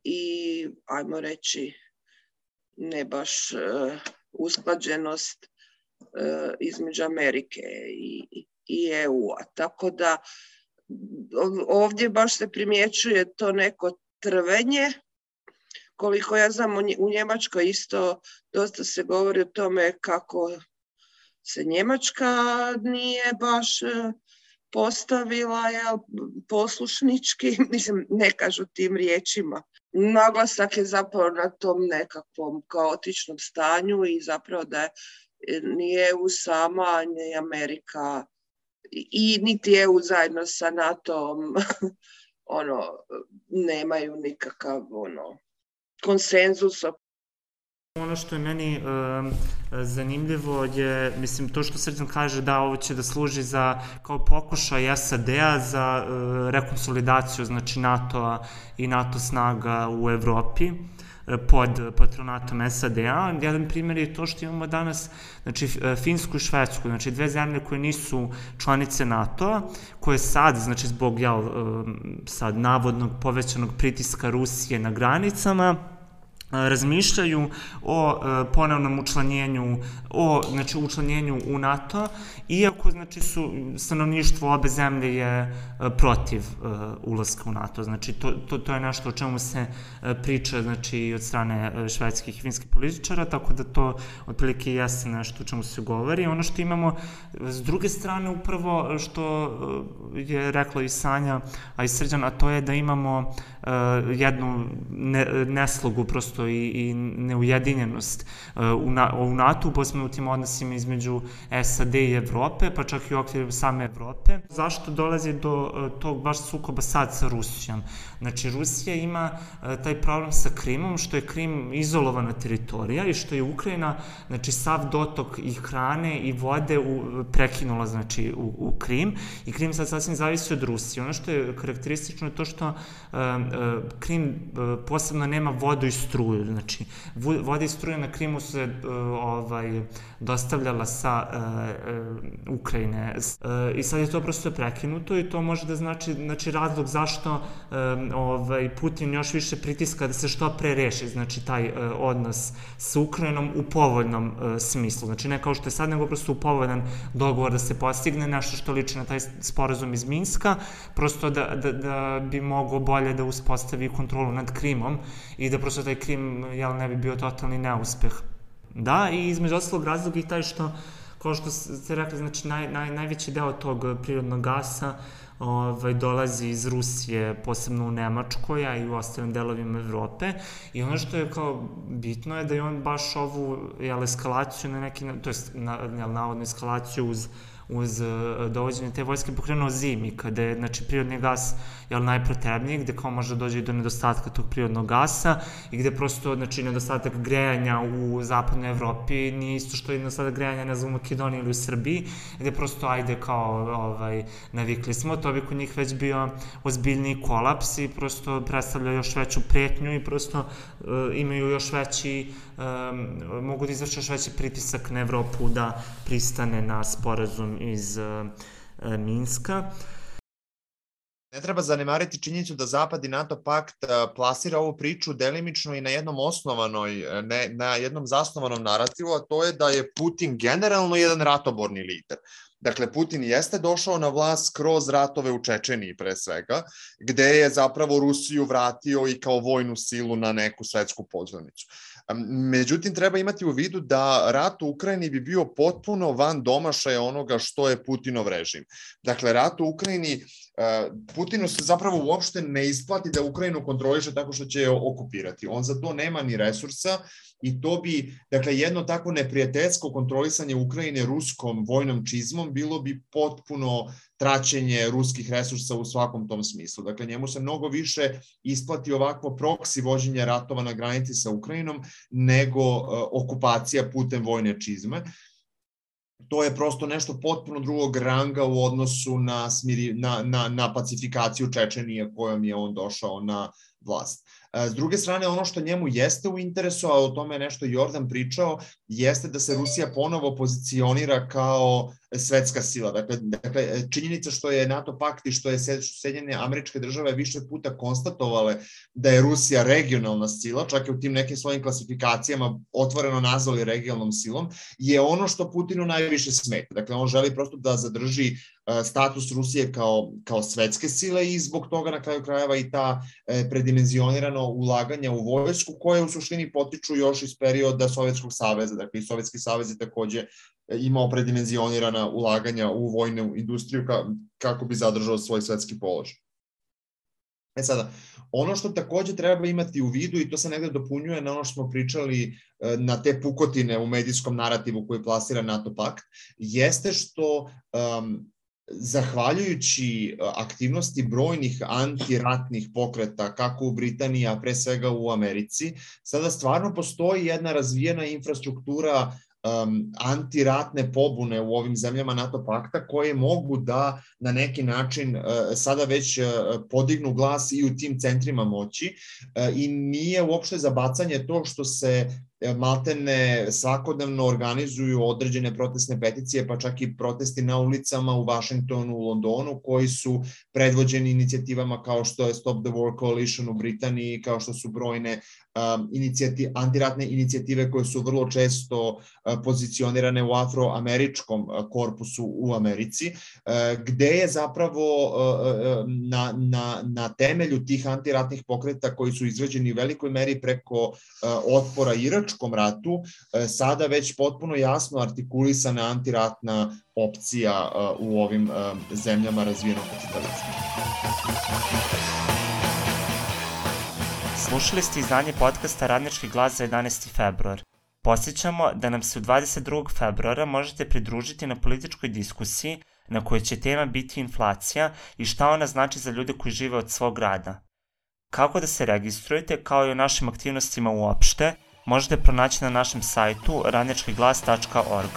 G: i, ajmo reći, ne baš usklađenost između Amerike i, i E U-a. Tako da ovdje baš se primjećuje to neko trvenje. Koliko ja znam, u Njemačkoj isto dosta se govori o tome kako se Njemačka nije baš postavila, jel, poslušnički, mislim, ne kažu tim riječima. Naglasak je zapravo na tom nekakvom kaotičnom stanju i zapravo da ni E U sama, ni Amerika i niti E U zajedno sa NATO-om ono, nemaju nikakav ono, konsenzus
A: Ono što je meni um, zanimljivo je, mislim, to što Srđan kaže da ovo će da služi za, kao pokušaj S A D-a za uh, rekonsolidaciju, znači NATO-a i NATO snaga u Evropi pod patronatom S A D-a. Jedan primjer je to što imamo danas, znači, Finsku i Švedsku, znači dve zemlje koje nisu članice NATO-a, koje sad, znači zbog, jel, sad navodnog povećanog pritiska Rusije na granicama, razmišljaju o ponovnom učlanjenju, o, znači, učlanjenju u NATO, iako, znači, su, stanovništvo obe zemlje je protiv uh, ulaska u NATO. Znači, to, to, to je nešto o čemu se uh, priča, znači, od strane švedskih i finskih političara, tako da to otprilike jeste nešto o čemu se govori. Ono što imamo s druge strane, upravo što uh, je rekla i Sanja, a i Srđan, a to je da imamo uh, jednu ne, neslogu prosto i, i neujedinjenost uh, u, na, u NATO, posebno u tim odnosima između S A D i Evrope, pa čak i u okviru same Evrope. Zašto dolazi do uh, tog baš sukoba sad sa Rusijom? Znači, Rusija ima uh, taj problem sa Krimom, što je Krim izolovana teritorija i što je Ukrajina, znači, sav dotok i hrane i vode u, prekinula, znači, u, u Krim, i Krim sad sasvim zavisi od Rusije. Ono što je karakteristično je to što uh, uh, Krim uh, posebno nema vodu i struju. Znači, voda i struja na Krimu su se uh, ovaj, dostavljala sa uh, uh, Ukrajine. Uh, I sad je to prosto prekinuto i to može da znači, znači razlog zašto um, ovaj, Putin još više pritiska da se što pre reši, znači, taj uh, odnos sa Ukrajinom u povoljnom uh, smislu. Znači, ne kao što je sad, nego prosto u povoljan dogovor da se postigne nešto što liči na taj sporazum iz Minska, prosto da, da, da bi mogo bolje da uspostavi kontrolu nad Krimom i da prosto taj Krim, jel, ne bi bio totalni neuspeh. Da, i između ostalog razlog i taj što, kao što ste rekli, znači, naj, naj, najveći deo tog prirodnog gasa ovaj, dolazi iz Rusije, posebno u Nemačkoj, a i u ostalim delovima Evrope. I ono što je kao bitno je da je on baš ovu, jel, eskalaciju na neki, to je na, jel, navodnu eskalaciju uz uz dovođenje te vojske pokrenuo zimi, kada je, znači, prirodni gas, jel, najpotrebniji, gde kao može dođe i do nedostatka tog prirodnog gasa i gde prosto, znači, nedostatak grejanja u zapadnoj Evropi nije isto što je nedostatak grejanja, ne znam, u Makedoniji ili u Srbiji, gde prosto, ajde, kao, ovaj, navikli smo, to bi kod njih već bio ozbiljniji kolaps i prosto predstavlja još veću pretnju i prosto uh, imaju još veći, um, mogu da izvrše još veći pritisak na Evropu da pristane na sporazum iz uh, uh, Minska.
F: Ne treba zanemariti činjenicu da Zapad i NATO pakt plasira ovu priču delimično i na jednom osnovanoj, ne, na jednom zasnovanom narativu, a to je da je Putin generalno jedan ratoborni lider. Dakle, Putin jeste došao na vlast kroz ratove u Čečeniji pre svega, gde je zapravo Rusiju vratio i kao vojnu silu na neku svetsku pozornicu. Međutim, treba imati u vidu da rat u Ukrajini bi bio potpuno van domašaja onoga što je Putinov režim. Dakle, rat u Ukrajini, Putinu se zapravo uopšte ne isplati da Ukrajinu kontroliše tako što će je okupirati. On za to nema ni resursa i to bi, dakle, jedno tako neprijateljsko kontrolisanje Ukrajine ruskom vojnom čizmom bilo bi potpuno traćenje ruskih resursa u svakom tom smislu. Dakle, njemu se mnogo više isplati ovakvo proksi vođenje ratova na granici sa Ukrajinom nego uh, okupacija putem vojne čizme. To je prosto nešto potpuno drugog ranga u odnosu na, smiri, na, na, na pacifikaciju Čečenije kojom je on došao na vlast. S druge strane, ono što njemu jeste u interesu, a o tome je nešto Jordan pričao, jeste da se Rusija ponovo pozicionira kao svetska sila. Dakle, dakle činjenica što je NATO pakt i što je Sjedinjene Američke Države više puta konstatovale da je Rusija regionalna sila, čak i u tim nekim svojim klasifikacijama otvoreno nazvali regionalnom silom, je ono što Putinu najviše smeta. Dakle, on želi prosto da zadrži status Rusije kao, kao svetske sile i zbog toga na kraju krajeva i ta predimenzionirano ulaganja u vojsku koje u suštini potiču još iz perioda Sovjetskog saveza. Dakle, i Sovjetski savez je takođe imao predimenzionirana ulaganja u vojnu industriju kako bi zadržao svoj svetski položaj. E sada, ono što takođe treba imati u vidu, i to se negde dopunjuje na ono što smo pričali na te pukotine u medijskom narativu koji plasira NATO pakt, jeste što um, zahvaljujući aktivnosti brojnih antiratnih pokreta, kako u Britaniji, a pre svega u Americi, sada stvarno postoji jedna razvijena infrastruktura um, antiratne pobune u ovim zemljama NATO pakta koje mogu da na neki način uh, sada već uh, podignu glas i u tim centrima moći uh, i nije uopšte za bacanje to što se maltene svakodnevno organizuju određene protestne peticije, pa čak i protesti na ulicama u Vašingtonu, u Londonu, koji su predvođeni inicijativama kao što je Stop the War Coalition u Britaniji, kao što su brojne um, inicijati, antiratne inicijative koje su vrlo često uh, pozicionirane u afroameričkom uh, korpusu u Americi, uh, gde je zapravo uh, na, na, na temelju tih antiratnih pokreta koji su izrađeni u velikoj meri preko uh, otpora Iračkog ratu, sada već potpuno jasno artikulisana antiratna opcija u ovim zemljama razvijenog kapitalizma.
A: Slušali ste izdanje podcasta Radnički glas za jedanaesti februar. Podsjećamo da nam se u dvadeset drugog februara možete pridružiti na političkoj diskusiji na kojoj će tema biti inflacija i šta ona znači za ljude koji žive od svog rada. Kako da se registrujete, kao i o našim aktivnostima uopšte, možete pronaći na našem sajtu radnički glas tačka org.